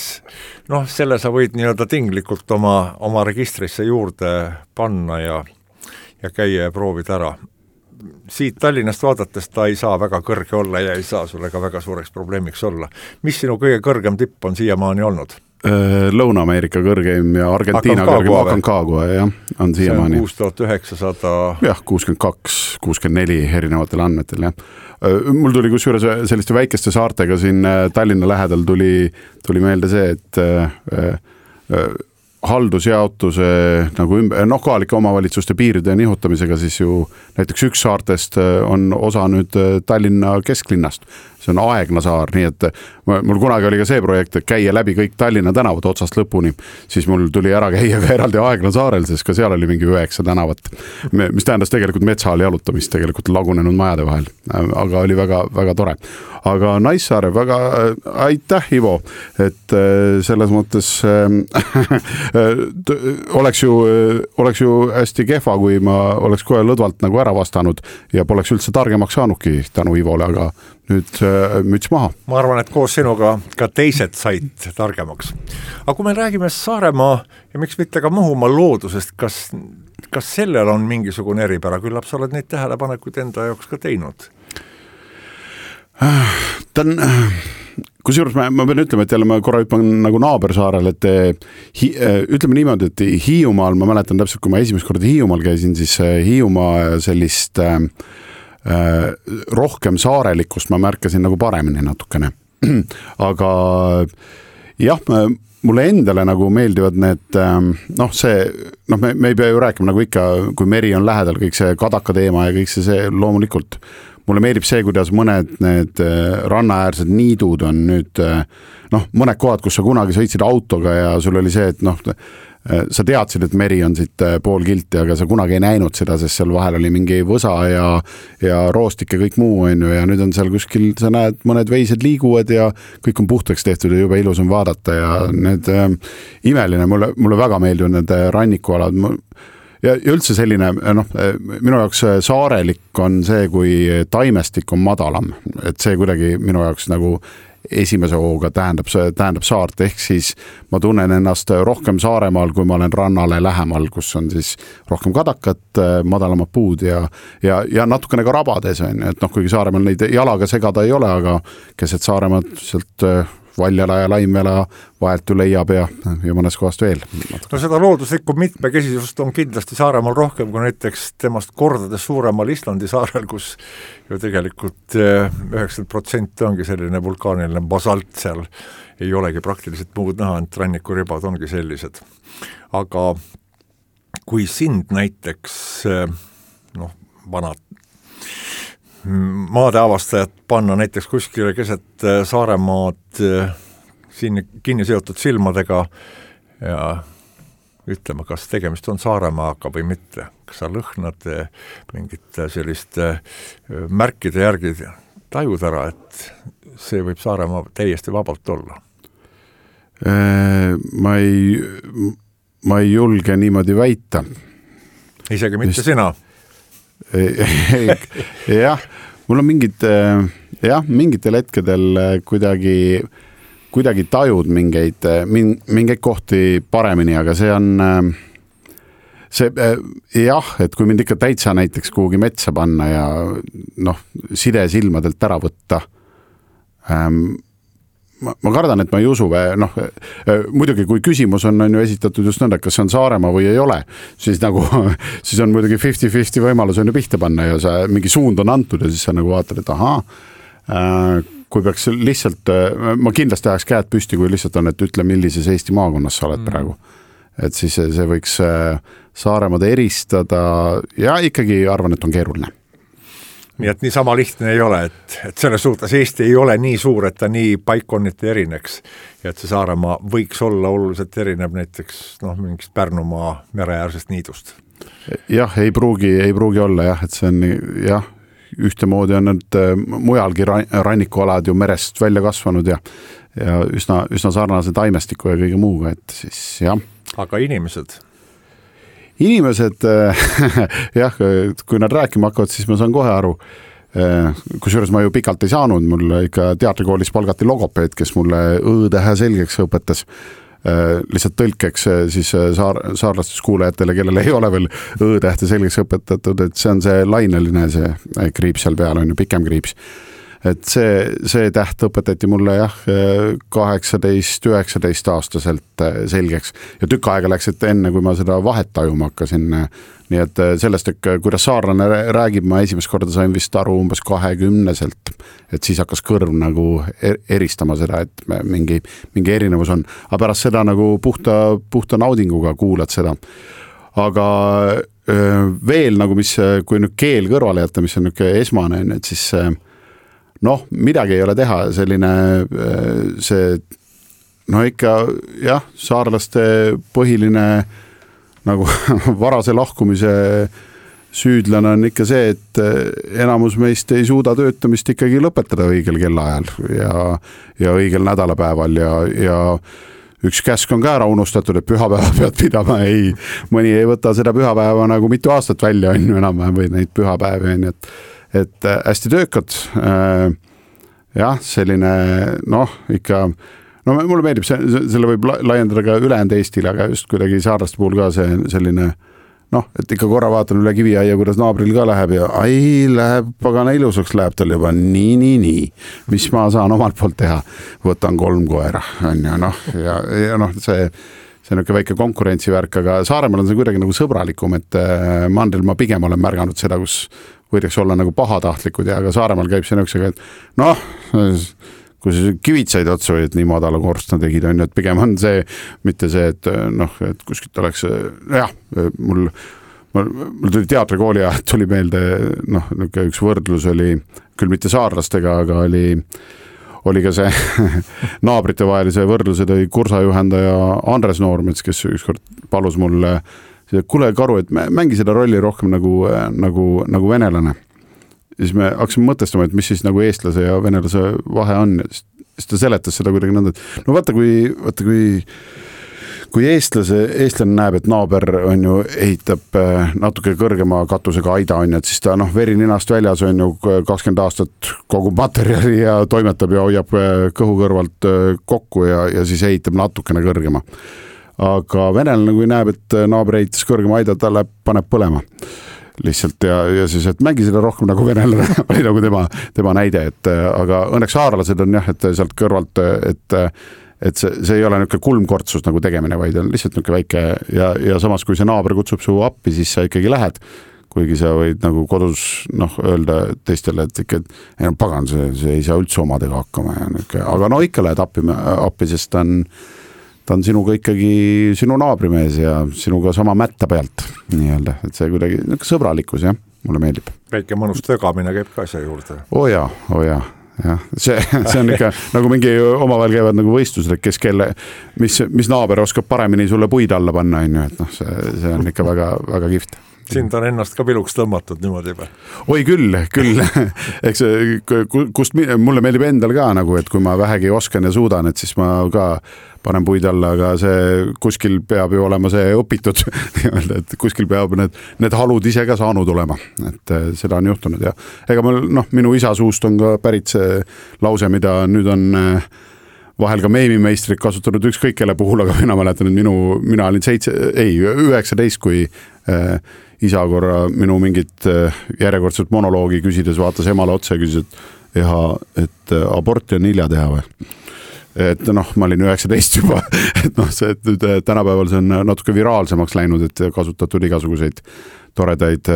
noh, selle sa võid nii-öelda tinglikult oma, oma registrisse juurde panna ja, ja käia ja proovida ära. Siit Tallinnast vaadates ta ei saa väga kõrge olla ja ei saa sulle ka väga suureks probleemiks olla. Mis sinu kõige kõrgem tipp on siiamaani olnud? Lõuna-Ameerika kõrgeim ja Argentiina kõrgeim Aconcagua, jah, on siiamaani. See on kuus tuhat üheksasada jah, kuuskümmend kaks, kuuskümmend neli erinevatel andmetel, jah. Mul tuli kusjuures selliste väikeste saartega siin Tallinna lähedal tuli, tuli meelde see, et äh, äh, haldusjaotuse nagu ümber, noh, kohalike omavalitsuste piiride nihutamisega siis ju näiteks üks saartest on osa nüüd Tallinna kesklinnast. See on Aegna saar, nii et mul kunagi oli ka see projekt, et käia läbi kõik Tallinna tänavad otsast lõpuni, siis mul tuli ära käia ka eraldi Aegna saarel, sest ka seal oli mingi üheksa tänavat, mis tähendas tegelikult metsaal jalutamist tegelikult lagunenud majade vahel, aga oli väga, väga tore. Aga Naissaare, väga aitäh, Ivo, et selles mõttes oleks ju, oleks ju hästi kehva, kui ma oleks kohe lõdvalt nagu ära vastanud ja poleks üldse targemaks saanudki tänu Ivole, aga nüüd müts maha. Ma arvan, et koos sinuga ka teised said targemaks. Aga kui me räägime Saaremaa ja miks mitte ka Muhumaa loodusest, kas, kas sellel on mingisugune eripära? Küllap sa oled neid tähelepanekuid enda jaoks ka teinud? Ta on, kusjuures ma, ma pean ütlema, et jälle ma korra hüppan nagu naabersaarel, et hi, ütleme niimoodi, et Hiiumaal, ma mäletan täpselt, kui ma esimest korda Hiiumaal käisin, siis Hiiumaa sellist äh, rohkem saarelikkust ma märkasin nagu paremini natukene. Aga jah, mulle endale nagu meeldivad need, noh see, noh me, me ei pea ju rääkima nagu ikka, kui meri on lähedal, kõik see kadaka teema ja kõik see, see loomulikult. Mulle meeldib see, kuidas mõned need rannaäärsed niidud on nüüd, noh, mõned kohad, kus sa kunagi sõitsid autoga ja sul oli see, et noh, sa teadsid, et meri on siit pool kilti, aga sa kunagi ei näinud seda, sest seal vahel oli mingi võsa ja, ja roostik ja kõik muu on ju, ja nüüd on seal kuskil, sa näed, mõned veised liiguvad ja kõik on puhtaks tehtud ja juba ilus on vaadata ja need äh, imeline, mulle, mulle väga meeldivad need rannikualad. Ja üldse selline, noh, minu jaoks saarelik on see, kui taimestik on madalam, et see kuidagi minu jaoks nagu esimese hooga tähendab, tähendab saart, ehk siis ma tunnen ennast rohkem Saaremaal, kui ma olen rannale lähemal, kus on siis rohkem kadakat, madalamad puud ja, ja, ja natukene ka rabades on, et noh, kuigi Saaremaal neid jalaga segada ei ole, aga keset Saaremaad sealt Valjala ja Laimvela vahelt ju leiab ja, ja mõnes kohast veel. No seda looduslikku mitmekesisust on kindlasti Saaremaal rohkem kui näiteks temast kordades suuremal Islandi saarel, kus ju tegelikult üheksakümmend protsenti ongi selline vulkaaniline basalt, seal ei olegi praktiliselt muud näha, et rannikuribad ongi sellised. Aga kui sind näiteks noh, vanad maade avastajad panna näiteks kuskile keset Saaremaad siin kinni seotud silmadega ja ütlema, kas tegemist on Saaremaaga või mitte. Kas sa lõhnad mingit sellist märkide järgi tajud ära, et see võib Saaremaa täiesti vabalt olla? Ma ei, ma ei julge niimoodi väita. Isegi mitte Just... sina? jah, mul on mingid, jah, mingitel hetkedel kuidagi, kuidagi tajud mingeid, mingeid kohti paremini, aga see on see, jah, et kui mind ikka täitsa näiteks kuhugi metsa panna ja noh, side silmadelt ära võtta, ähm, Ma, ma kardan, et ma ei usu, noh, muidugi kui küsimus on, on ju esitatud just nõnda, kas see on Saaremaa või ei ole, siis nagu, siis on muidugi fifty fifty võimalus on ju pihta panna ja see mingi suund on antud ja siis sa nagu vaatad, et ahaa, kui peaks lihtsalt, ma kindlasti ajaks käed püsti, kui lihtsalt on, et ütle, millises Eesti maakonnas sa oled mm. praegu. Et siis see, see võiks Saaremaad eristada ja ikkagi arvan, et on keeruline. Nii et nii sama lihtne ei ole, et, et selles suhtes Eesti ei ole nii suur, et ta nii paikonniti erineks ja et see Saaremaa võiks olla oluliselt erineb näiteks noh, mingist Pärnumaa mereäärsest niidust. Jah, ei pruugi, ei pruugi olla jah, et see on jah, ühtemoodi on need mujalgi rannikualad ju merest välja kasvanud ja, ja üsna, üsna sarnase taimestiku ja kõige muuga, et siis jah. Aga inimesed? Inimesed, jah, kui nad rääkima hakkavad, siis ma saan kohe aru, kusjuures ma ju pikalt ei saanud, mul ikka teatrikoolis palgati logopeed, kes mulle õ-tähe selgeks õpetas, lihtsalt tõlkeks siis saar, saarlastes kuulajatele, kellel ei ole veel õ-tähte selgeks õpetatud, et see on see laineline, see kriips seal peal on ju pikem kriips. Et see, see täht õpetati mulle jah, kaheksateist üheksateist aastaselt selgeks ja tükk aega läks, et enne kui ma seda vahet tajuma hakkasin, nii et sellest, et kuidas saarlane räägib, ma esimest korda sain vist aru umbes kahekümneselt, et siis hakkas kõrv nagu eristama seda, et mingi, mingi erinevus on, aga pärast seda nagu puhta, puhta naudinguga kuulad seda. Aga veel nagu, mis, kui nüüd keel kõrvale jätta, mis on nüüd esmane, et siis noh, midagi ei ole teha, selline see, no ikka jah, saarlaste põhiline nagu varase lahkumise süüdlane on ikka see, et enamus meist ei suuda töötamist ikkagi lõpetada õigel kellaajal ja, ja õigel nädalapäeval ja, ja üks käsk on ka ära unustatud, et pühapäeva pead pidama, ei, mõni ei võta seda pühapäeva nagu mitu aastat välja on ju enam või neid pühapäevi on, et et hästi töökad, jah, selline, noh, ikka, no mulle meeldib, selle võib laiendada ka ülejäänud Eestile, aga just kuidagi saarlaste puhul ka see selline, noh, et ikka korra vaatan üle Kiviaia, kuidas naabril ka läheb ja ai, läheb pagana ilusaks, läheb tal juba nii, nii, nii, mis ma saan omalt poolt teha, võtan kolm koera, on ju, noh, ja, ja noh, see see on ikka väike konkurentsivärk, aga Saaremaal on see kuidagi nagu sõbralikum, et mandril ma pigem olen märganud seda, kus võidaks olla nagu pahatahtlikud ja aga Saaremaal käib see nõuksega, et noh, kui see kivitsaid otsa või, et nii madala korstna tegid, on ju, et pigem on see, mitte see, et noh, et kuskilt oleks, jah, mul, mul, mul tuli teatrikooli ja tuli meelde, noh, üks võrdlus oli, küll mitte saarlastega, aga oli oli ka see naabrite vahelise võrdluse tõi kursajuhendaja Andres Noormets, kes ükskord palus mulle, kuule Karu, et mängi seda rolli rohkem nagu, nagu, nagu venelane. Ja siis me hakkasime mõtestama, et mis siis nagu eestlase ja venelase vahe on. Siis ta seletas seda kuidagi nõnda, et no vaata, kui, vaata, kui kui eestlase, eestlane näeb, et naaber on ju, ehitab natuke kõrgema katusega aida on ju, et siis ta noh, veri ninast väljas on ju kakskümmend aastat kogu materjali ja toimetab ja hoiab kõhu kõrvalt kokku ja, ja siis ehitab natukene kõrgema. Aga venelane, kui näeb, et naaber ehitas kõrgema aida, ta läheb, paneb põlema lihtsalt ja, ja siis, et mängi seda rohkem nagu venelane oli nagu tema, tema näide, et aga õnneks haarlased on jah, et sealt kõrvalt, et et see, see ei ole niisugune kulmkortsus nagu tegemine, vaid on lihtsalt niisugune väike ja, ja samas, kui see naaber kutsub su appi, siis sa ikkagi lähed, kuigi sa võid nagu kodus noh, öelda teistele, et ikka, ei no pagan, see, see ei saa üldse omadega hakkama ja niisugune, aga no ikka lähed appi, appi, sest ta on, ta on sinuga ikkagi sinu naabrimees ja sinuga sama mätta pealt nii-öelda, et see kuidagi niisugune sõbralikkus, jah, mulle meeldib. Väike mõnus tögamine käib ka asja juurde. Oo jaa, oo jaa. jah, see, see on ikka nagu mingi omavahel käivad nagu võistlused, kes kelle, mis, mis naaber oskab paremini sulle puid alla panna, on ju, et noh, see, see on ikka väga, väga kihvt. Sind on ennast ka piluks tõmmatud niimoodi või? Oi küll, küll. Eks kust mulle meeldib endal ka nagu, et kui ma vähegi oskan ja suudan, et siis ma ka panen puid alla, aga see kuskil peab ju olema see õpitud, et kuskil peab need, need halud ise ka saanud olema, et seda on juhtunud ja ega mul, noh, minu isa suust on ka pärit see lause, mida nüüd on vahel ka meemimeistrid kasutanud ükskõik kelle puhul, aga mina mäletan, et minu, mina olin seitse, ei, üheksateist, kui äh, isa korra minu mingit äh, järjekordset monoloogi küsides vaatas emale otsa ja küsis, et ja et aborti on hilja teha või? Et noh, ma olin üheksateist juba, et noh, see et nüüd tänapäeval see on natuke viraalsemaks läinud, et kasutatud igasuguseid toredaid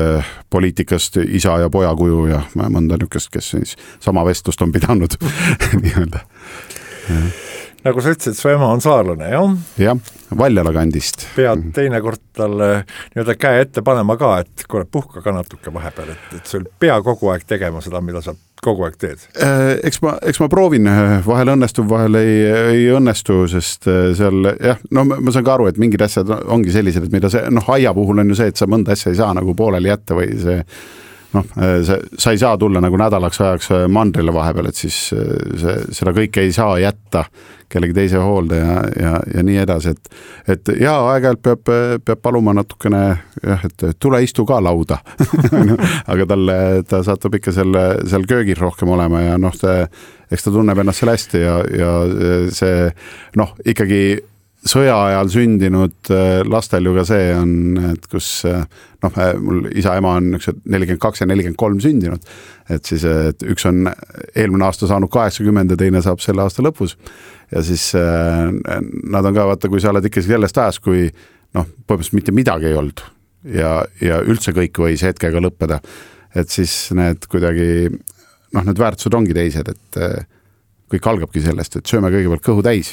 poliitikast isa ja poja kuju ja mõnda niukest, kes siis sama vestlust on pidanud nii-öelda. Nagu sa ütlesid, su ema on saarlane, jah? Jah, Valjala kandist. Pead teinekord talle nii-öelda käe ette panema ka, et kuule, puhka ka natuke vahepeal, et, et sul pea kogu aeg tegema seda, mida sa kogu aeg teed. Eks ma, eks ma proovin, vahel õnnestub, vahel ei, ei õnnestu, sest seal, jah, no ma saan ka aru, et mingid asjad ongi sellised, et mida see, noh, aia puhul on ju see, et sa mõnda asja ei saa nagu pooleli jätta või see, noh, see, sa ei saa tulla nagu nädalaks ajaks mandrile vahepeal, et siis see, seda kõike ei saa jätta kellegi teise hoolde ja, ja, ja nii edasi, et, et ja aeg-ajalt peab, peab paluma natukene, jah, et tule istu ka lauda aga talle, ta satub ikka selle, seal köögis rohkem olema ja noh, ta, eks ta tunneb ennast seal hästi ja, ja see, noh, ikkagi sõja ajal sündinud lastel ju ka see on, et kus noh, mul isa-ema on nelikümmend kaks ja nelikümmend kolm sündinud, et siis et üks on eelmine aasta saanud kaheksakümmend ja teine saab selle aasta lõpus ja siis nad on ka, vaata, kui sa oled ikka sellest ajast, kui noh, põhimõtteliselt mitte midagi ei olnud ja, ja üldse kõik võis hetkega lõppeda, et siis need kuidagi noh, need väärtused ongi teised, et kõik algabki sellest, et sööme kõigepealt kõhu täis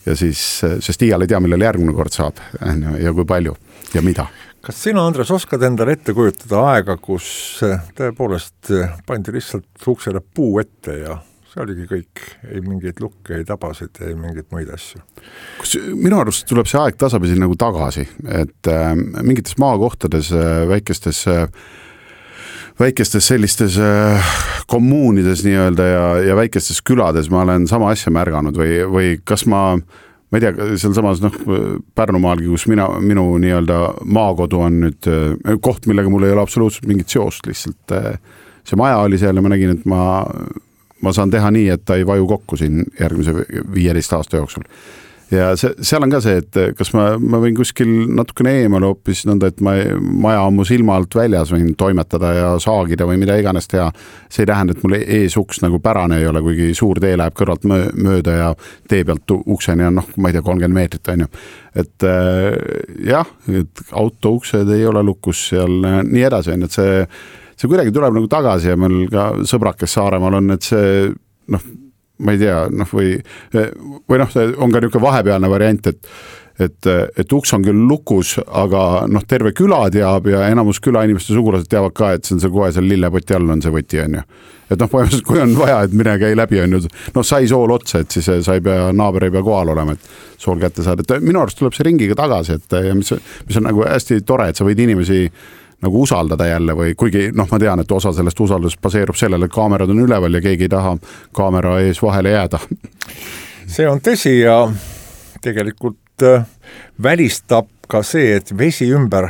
ja siis, sest iial ei tea, millal järgmine kord saab ja kui palju ja mida. Kas sina, Andres, oskad endale ette kujutada aega, kus tõepoolest pandi lihtsalt uksele puu ette ja see oligi kõik, ei mingeid lukke, ei tabasid, ei mingeid muid asju? Kus minu arust tuleb see aeg tasapisi nagu tagasi, et äh, mingites maakohtades, väikestes väikestes sellistes kommuunides nii-öelda ja, ja väikestes külades ma olen sama asja märganud või, või kas ma, ma ei tea, seal samas noh, Pärnumaalgi, kus mina, minu nii-öelda maakodu on nüüd koht, millega mul ei ole absoluutselt mingit seost, lihtsalt see maja oli seal ja ma nägin, et ma, ma saan teha nii, et ta ei vaju kokku siin järgmise viieteist aasta jooksul. Ja see, seal on ka see, et kas ma, ma võin kuskil natukene eemale hoopis nõnda, et ma maja on mu silma alt väljas võin toimetada ja saagida või mida iganes teha. See ei tähenda, et mul ees uks nagu pärane ei ole, kuigi suur tee läheb kõrvalt mööda ja tee pealt ukseni on noh, ma ei tea, kolmkümmend meetrit on ju. Et jah, et auto uksed ei ole lukus seal nii edasi on, et see, see kuidagi tuleb nagu tagasi ja meil ka sõbrak, kes Saaremaal on, et see noh, ma ei tea, noh või, või noh, on ka niisugune vahepealne variant, et, et, et uks on küll lukus, aga noh, terve küla teab ja enamus küla inimeste sugulased teavad ka, et see on see kohe seal lillepoti all on see võti, on ju. Et noh, põhimõtteliselt, kui on vaja, et mine käi läbi, on ju, noh, sai sool otsa, et siis sa ei pea, naaber ei pea kohal olema, et sool kätte saada. Et minu arust tuleb see ringiga tagasi, et ja mis, mis on nagu hästi tore, et sa võid inimesi nagu usaldada jälle või kuigi noh, ma tean, et osa sellest usaldust baseerub sellele, et kaamerad on üleval ja keegi ei taha kaamera ees vahele jääda. See on tõsi ja tegelikult äh, välistab ka see, et vesi ümber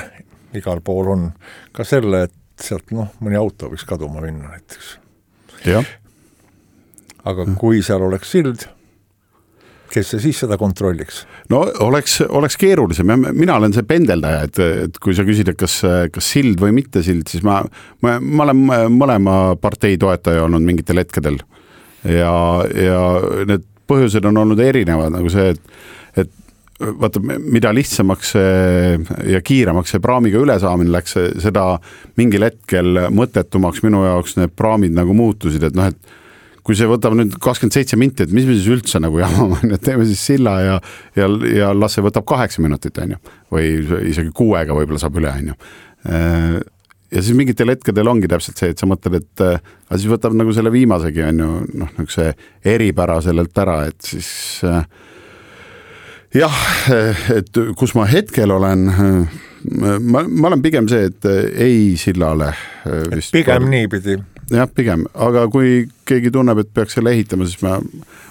igal pool on ka selle, et sealt noh, mõni auto võiks kaduma minna näiteks. Ja. Aga kui seal oleks sild, kes see siis seda kontrolliks? No oleks, oleks keerulisem. Mina olen see pendeldaja, et, et kui sa küsid, et kas, kas sild või mitte sild, siis ma, ma, ma olen mõlema partei toetaja olnud mingitel hetkedel. Ja, ja need põhjused on olnud erinevad, nagu see, et, et vaata, mida lihtsamaks ja kiiremaks see praamiga ülesaamine läks, seda mingil hetkel mõttetumaks minu jaoks need praamid nagu muutusid, et noh, et kui see võtab nüüd kakskümmend seitse minti, et mis me siis üldse nagu jamama, et teeme siis silla ja, ja, ja las see võtab kaheksa minutit, on ju, või isegi kuuega võib-olla saab üle, on ju. Ja siis mingitel hetkedel ongi täpselt see, et sa mõtled, et aga siis võtab nagu selle viimasegi, on ju, noh, nagu see eripära sellelt ära, et siis jah, et kus ma hetkel olen, ma, ma olen pigem see, et ei sillale. Vist pigem par... niipidi. Jah, pigem, aga kui keegi tunneb, et peaks selle ehitama, siis ma,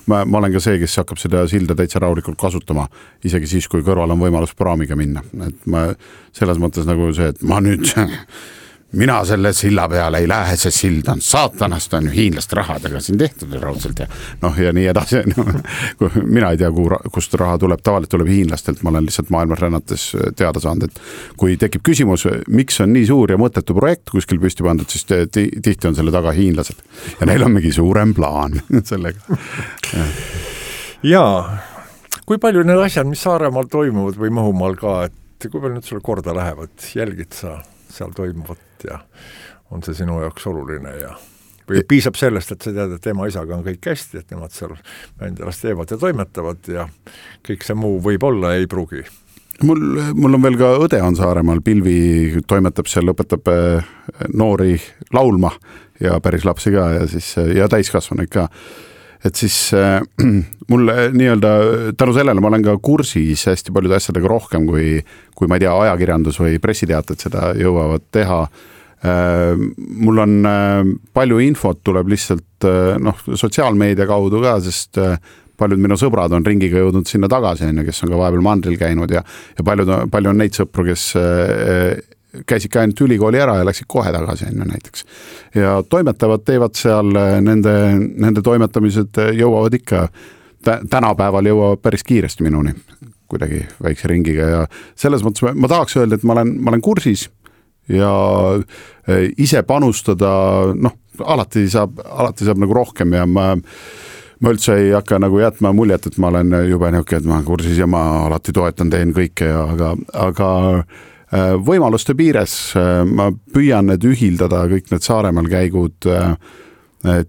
ma, ma olen ka see, kes hakkab seda silda täitsa rahulikult kasutama, isegi siis, kui kõrval on võimalus praamiga minna. Et ma selles mõttes nagu see, et ma nüüd mina selle silla peale ei lähe, see sild on saatanast, on ju hiinlaste rahadega siin tehtud raudselt ja noh ja nii edasi no,. mina ei tea, kust raha tuleb, tavaliselt tuleb hiinlastelt, ma olen lihtsalt maailmas rännates teada saanud, et kui tekib küsimus, miks on nii suur ja mõttetu projekt kuskil püsti pandud, siis tihti on selle taga hiinlased ja neil on mingi suurem plaan sellega. Jaa, kui palju need asjad, mis Saaremaal toimuvad või Muhumaal ka, et kui palju nüüd sulle korda lähevad, jälgid sa seal toimuvat ja on see sinu jaoks oluline ja või piisab sellest, et sa tead, et ema isaga on kõik hästi, et nemad seal Mändelas teevad ja toimetavad ja kõik see muu võib olla, ei pruugi. Mul, mul on veel ka õde on Saaremaal, Pilvi toimetab seal, õpetab noori laulma ja päris lapsi ka ja, siis, ja täiskasvanuid ka. Et siis äh, mul nii-öelda tänu sellele ma olen ka kursis hästi paljude asjadega rohkem, kui, kui ma ei tea, ajakirjandus või pressiteated seda jõuavad teha. Äh, mul on äh, palju infot tuleb lihtsalt äh, noh, sotsiaalmeedia kaudu ka, sest äh, paljud minu sõbrad on ringiga jõudnud sinna tagasi, kes on ka vahepeal mandril käinud ja, ja paljud, palju on neid sõpru, kes äh, käisid ka ainult ülikooli ära ja läksid kohe tagasi enne näiteks. Ja toimetavad, teevad seal, nende, nende toimetamised jõuavad ikka, tänapäeval jõuavad päris kiiresti minuni, kuidagi väikse ringiga ja selles mõttes ma tahaks öelda, et ma olen, ma olen kursis ja ise panustada, noh, alati saab, alati saab nagu rohkem ja ma ma üldse ei hakka nagu jätma muljet, et ma olen jube niuke, et ma olen kursis ja ma alati toetan, teen kõike ja aga, aga võimaluste piires ma püüan need ühildada kõik need Saaremaal käigud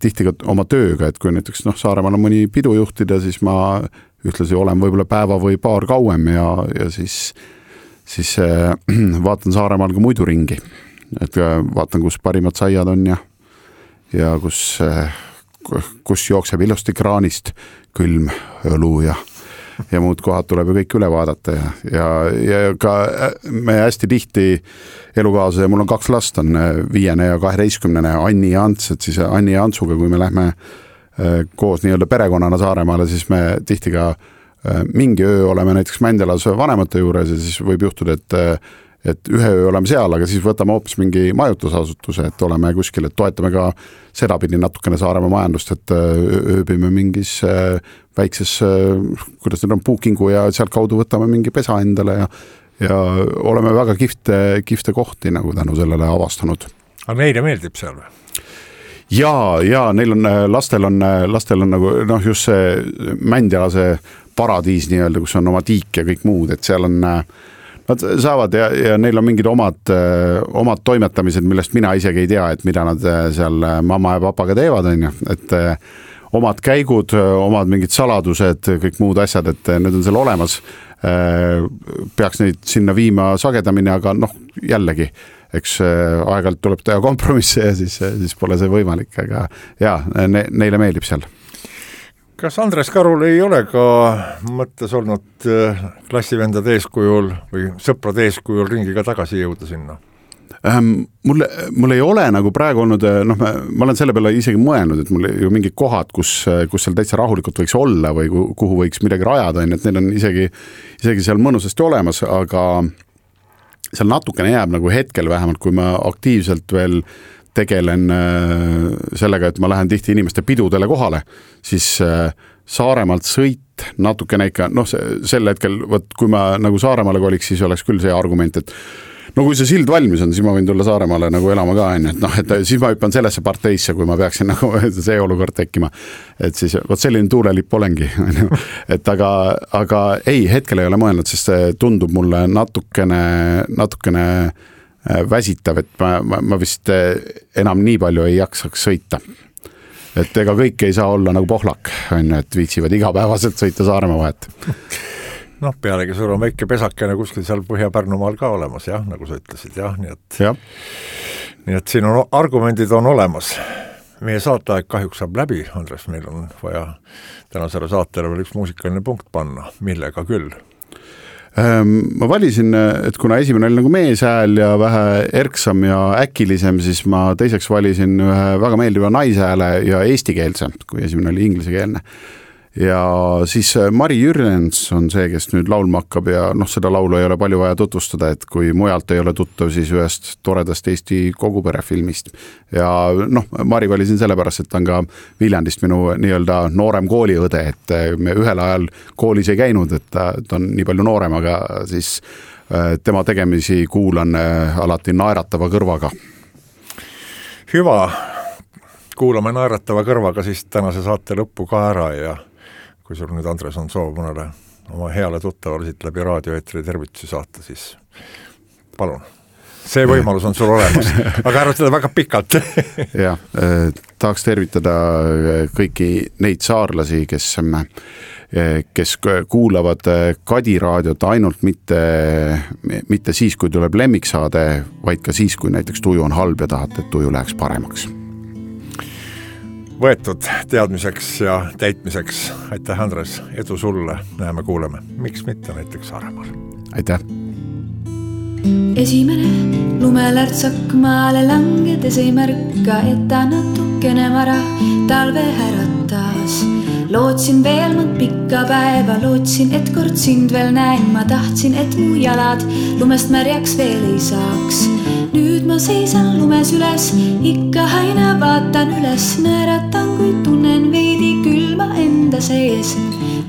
tihti ka oma tööga, et kui näiteks noh, Saaremaal on mõni pidu juhtida, siis ma ühtlasi olen võib-olla päeva või paar kauem ja, ja siis, siis vaatan Saaremaal ka muidu ringi, et vaatan, kus parimad saiad on ja, ja kus, kus jookseb ilusti kraanist külm õlu ja ja muud kohad tuleb ju kõik üle vaadata ja, ja, ja ka me hästi tihti elukaasa ja mul on kaks last, on viiene ja kaheteistkümnene Anni ja Ants, et siis Anni ja Antsuga, kui me lähme koos nii-öelda perekonnana Saaremaale, siis me tihti ka mingi öö oleme näiteks Mändelas vanemate juures ja siis võib juhtuda, et et ühe öö oleme seal, aga siis võtame hoopis mingi majutusasutuse, et oleme kuskil, et toetame ka sedapidi natukene Saaremaa majandust, et ööbime mingis väikses, kuidas need on, puukingu ja sealt kaudu võtame mingi pesa endale ja, ja oleme väga kihvte, kihvte kohti nagu tänu sellele avastanud. Aga neile meeldib seal või? Ja, ja neil on, lastel on, lastel on nagu, noh, just see Mändjalase paradiis nii-öelda, kus on oma tiik ja kõik muud, et seal on nad saavad ja, ja neil on mingid omad, omad toimetamised, millest mina isegi ei tea, et mida nad seal mamma ja papaga teevad, on ju, et omad käigud, omad mingid saladused, kõik muud asjad, et need on seal olemas. Peaks neid sinna viima sagedamini, aga noh, jällegi, eks aeg-ajalt tuleb teha kompromisse ja siis, siis pole see võimalik, aga jaa, ne, neile meeldib seal. Kas Andres Karul ei ole ka mõttes olnud klassivendade eeskujul või sõprade eeskujul ringiga tagasi jõuda sinna? Ähm, mul, mul ei ole nagu praegu olnud, noh, ma, ma olen selle peale isegi mõelnud, et mul ju mingid kohad, kus, kus seal täitsa rahulikult võiks olla või kuhu võiks midagi rajada, et need on isegi, isegi seal mõnusasti olemas, aga seal natukene jääb nagu hetkel vähemalt, kui ma aktiivselt veel tegelen sellega, et ma lähen tihti inimeste pidudele kohale, siis Saaremaalt sõit natukene ikka, noh, sel hetkel, võt, kui ma nagu Saaremaale koliks, siis oleks küll see argument, et no kui see sild valmis on, siis ma võin tulla Saaremaale nagu elama ka, et noh, et siis ma hüppan sellesse parteisse, kui ma peaksin nagu see olukord tekkima. Et siis, võt selline tuulelipp olengi, et aga, aga ei, hetkel ei ole mõelnud, sest see tundub mulle natukene, natukene väsitav, et ma, ma, ma vist enam nii palju ei jaksaks sõita. Et ega kõik ei saa olla nagu pohlak, et viitsivad igapäevaselt sõita Saaremaa vahet. Noh, pealegi sul on väike pesakene kuskil seal Põhja-Pärnumaal ka olemas, jah, nagu sa ütlesid, jah, nii et, ja. nii et siin on, argumendid on olemas. Meie saateaeg kahjuks saab läbi, Andres, meil on vaja tänasele saatele veel üks muusikaline punkt panna, millega küll. Ma valisin, et kuna esimene oli nagu meeshääl ja vähe erksam ja äkilisem, siis ma teiseks valisin ühe väga meeldiva naishääle ja eestikeelse, kui esimene oli inglisekeelne. ja siis Mari Jürjens on see, kes nüüd laulma hakkab ja noh, seda laulu ei ole palju vaja tutvustada, et kui mujalt ei ole tuttav, siis ühest toredast Eesti kogupere filmist. Ja noh, Mari valisin sellepärast, et ta on ka Viljandist minu nii-öelda noorem kooliõde, et me ühel ajal koolis ei käinud, et ta, ta on nii palju noorem, aga siis tema tegemisi kuulan alati naeratava kõrvaga. Hüva, kuulame naeratava kõrvaga siis tänase saate lõppu ka ära ja kui sul nüüd, Andres, on soov mõnele oma heale tuttavale siit läbi raadioeetri tervitusi saata, siis palun. See võimalus on sul olemas, aga ära seda väga pikalt. ja, tahaks tervitada kõiki neid saarlasi, kes kes kuulavad Kadi raadiot ainult mitte, mitte siis, kui tuleb lemmiksaade, vaid ka siis, kui näiteks tuju on halb ja tahate, et tuju läheks paremaks. Võetud teadmiseks ja täitmiseks. Aitäh, Andres, edu sulle, näeme, kuuleme. Miks mitte näiteks Saaremaal? Aitäh! Esimene lumelärtsak maale langedes ei märka, et ta natukene vara talve äratas. Lootsin veel mõnd pikka päeva, lootsin, et kord sind veel näen. Ma tahtsin, et mu jalad lumest märjaks veel ei saaks. Nüüd ma seisan lumes üles, ikka aina vaatan üles. Naeratan, kui tunnen veidi külma enda sees.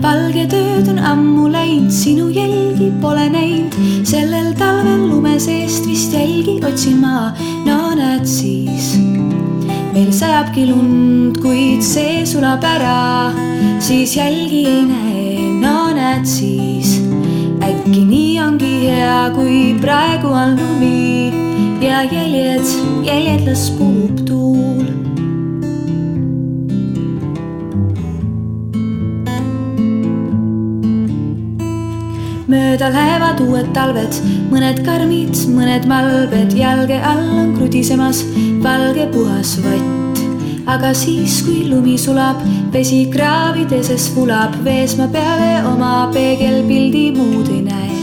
Valge tööd on ammu läinud, sinu jälgi pole näinud. Sellel talvel lume seest vist jälgi otsin ma, no näed siis. Meil sajabki lund, kuid see sulab ära, siis jälgi ei näe, no näed siis. Äkki nii ongi hea, kui praegu on lumi ja jäljed, jäljed las puhub tuul. Mööda lähevad uued talved, mõned karmid, mõned malbed. Jalge all on krudisemas valge puhas vatt. Aga siis, kui lumi sulab, vesi kraavideses fulab. Vees ma peale oma peegelpildi muud ei näe.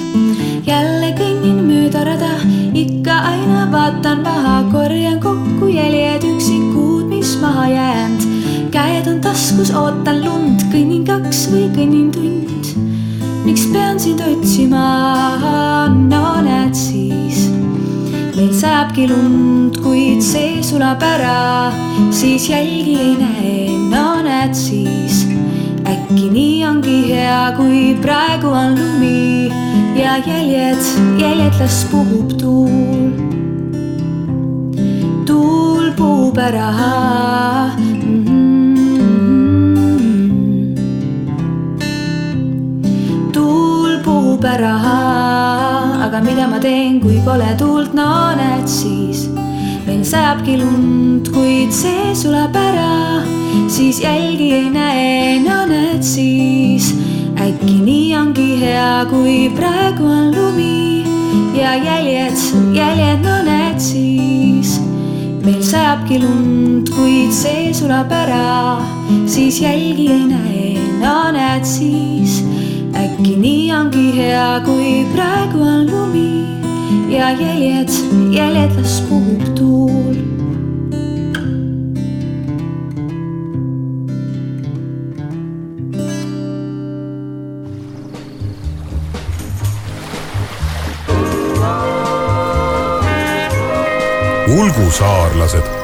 Jälle kõnnin mööda rada, ikka aina vaatan maha. Korjan kokku jäljed üksikud, mis maha jäänd. Käed on taskus, ootan lund, kõnnin kaks või kõnnin tund. Miks pean sind otsima, no näed siis. Meil sajabki lund, kuid see sulab ära, siis jälgi ei näe, no näed siis. Äkki nii ongi hea, kui praegu on lumi ja jäljed, jäljed las puhub tuul. Tuul puhub ära, ära, aga mida ma teen, kui pole tuult, no näed siis. Meil sajabki lund, kuid see sulab ära, siis jälgi ei näe, no näed siis. Äkki nii ongi hea, kui praegu on lumi ja jäljed, jäljed, no näed siis. Meil sajabki lund, kuid see sulab ära, siis jälgi ei näe, no näed siis. Äkki nii ongi hea, kui praegu on lumi ja jäljed, jäljed las puhub tuul. Ulgu saarlased.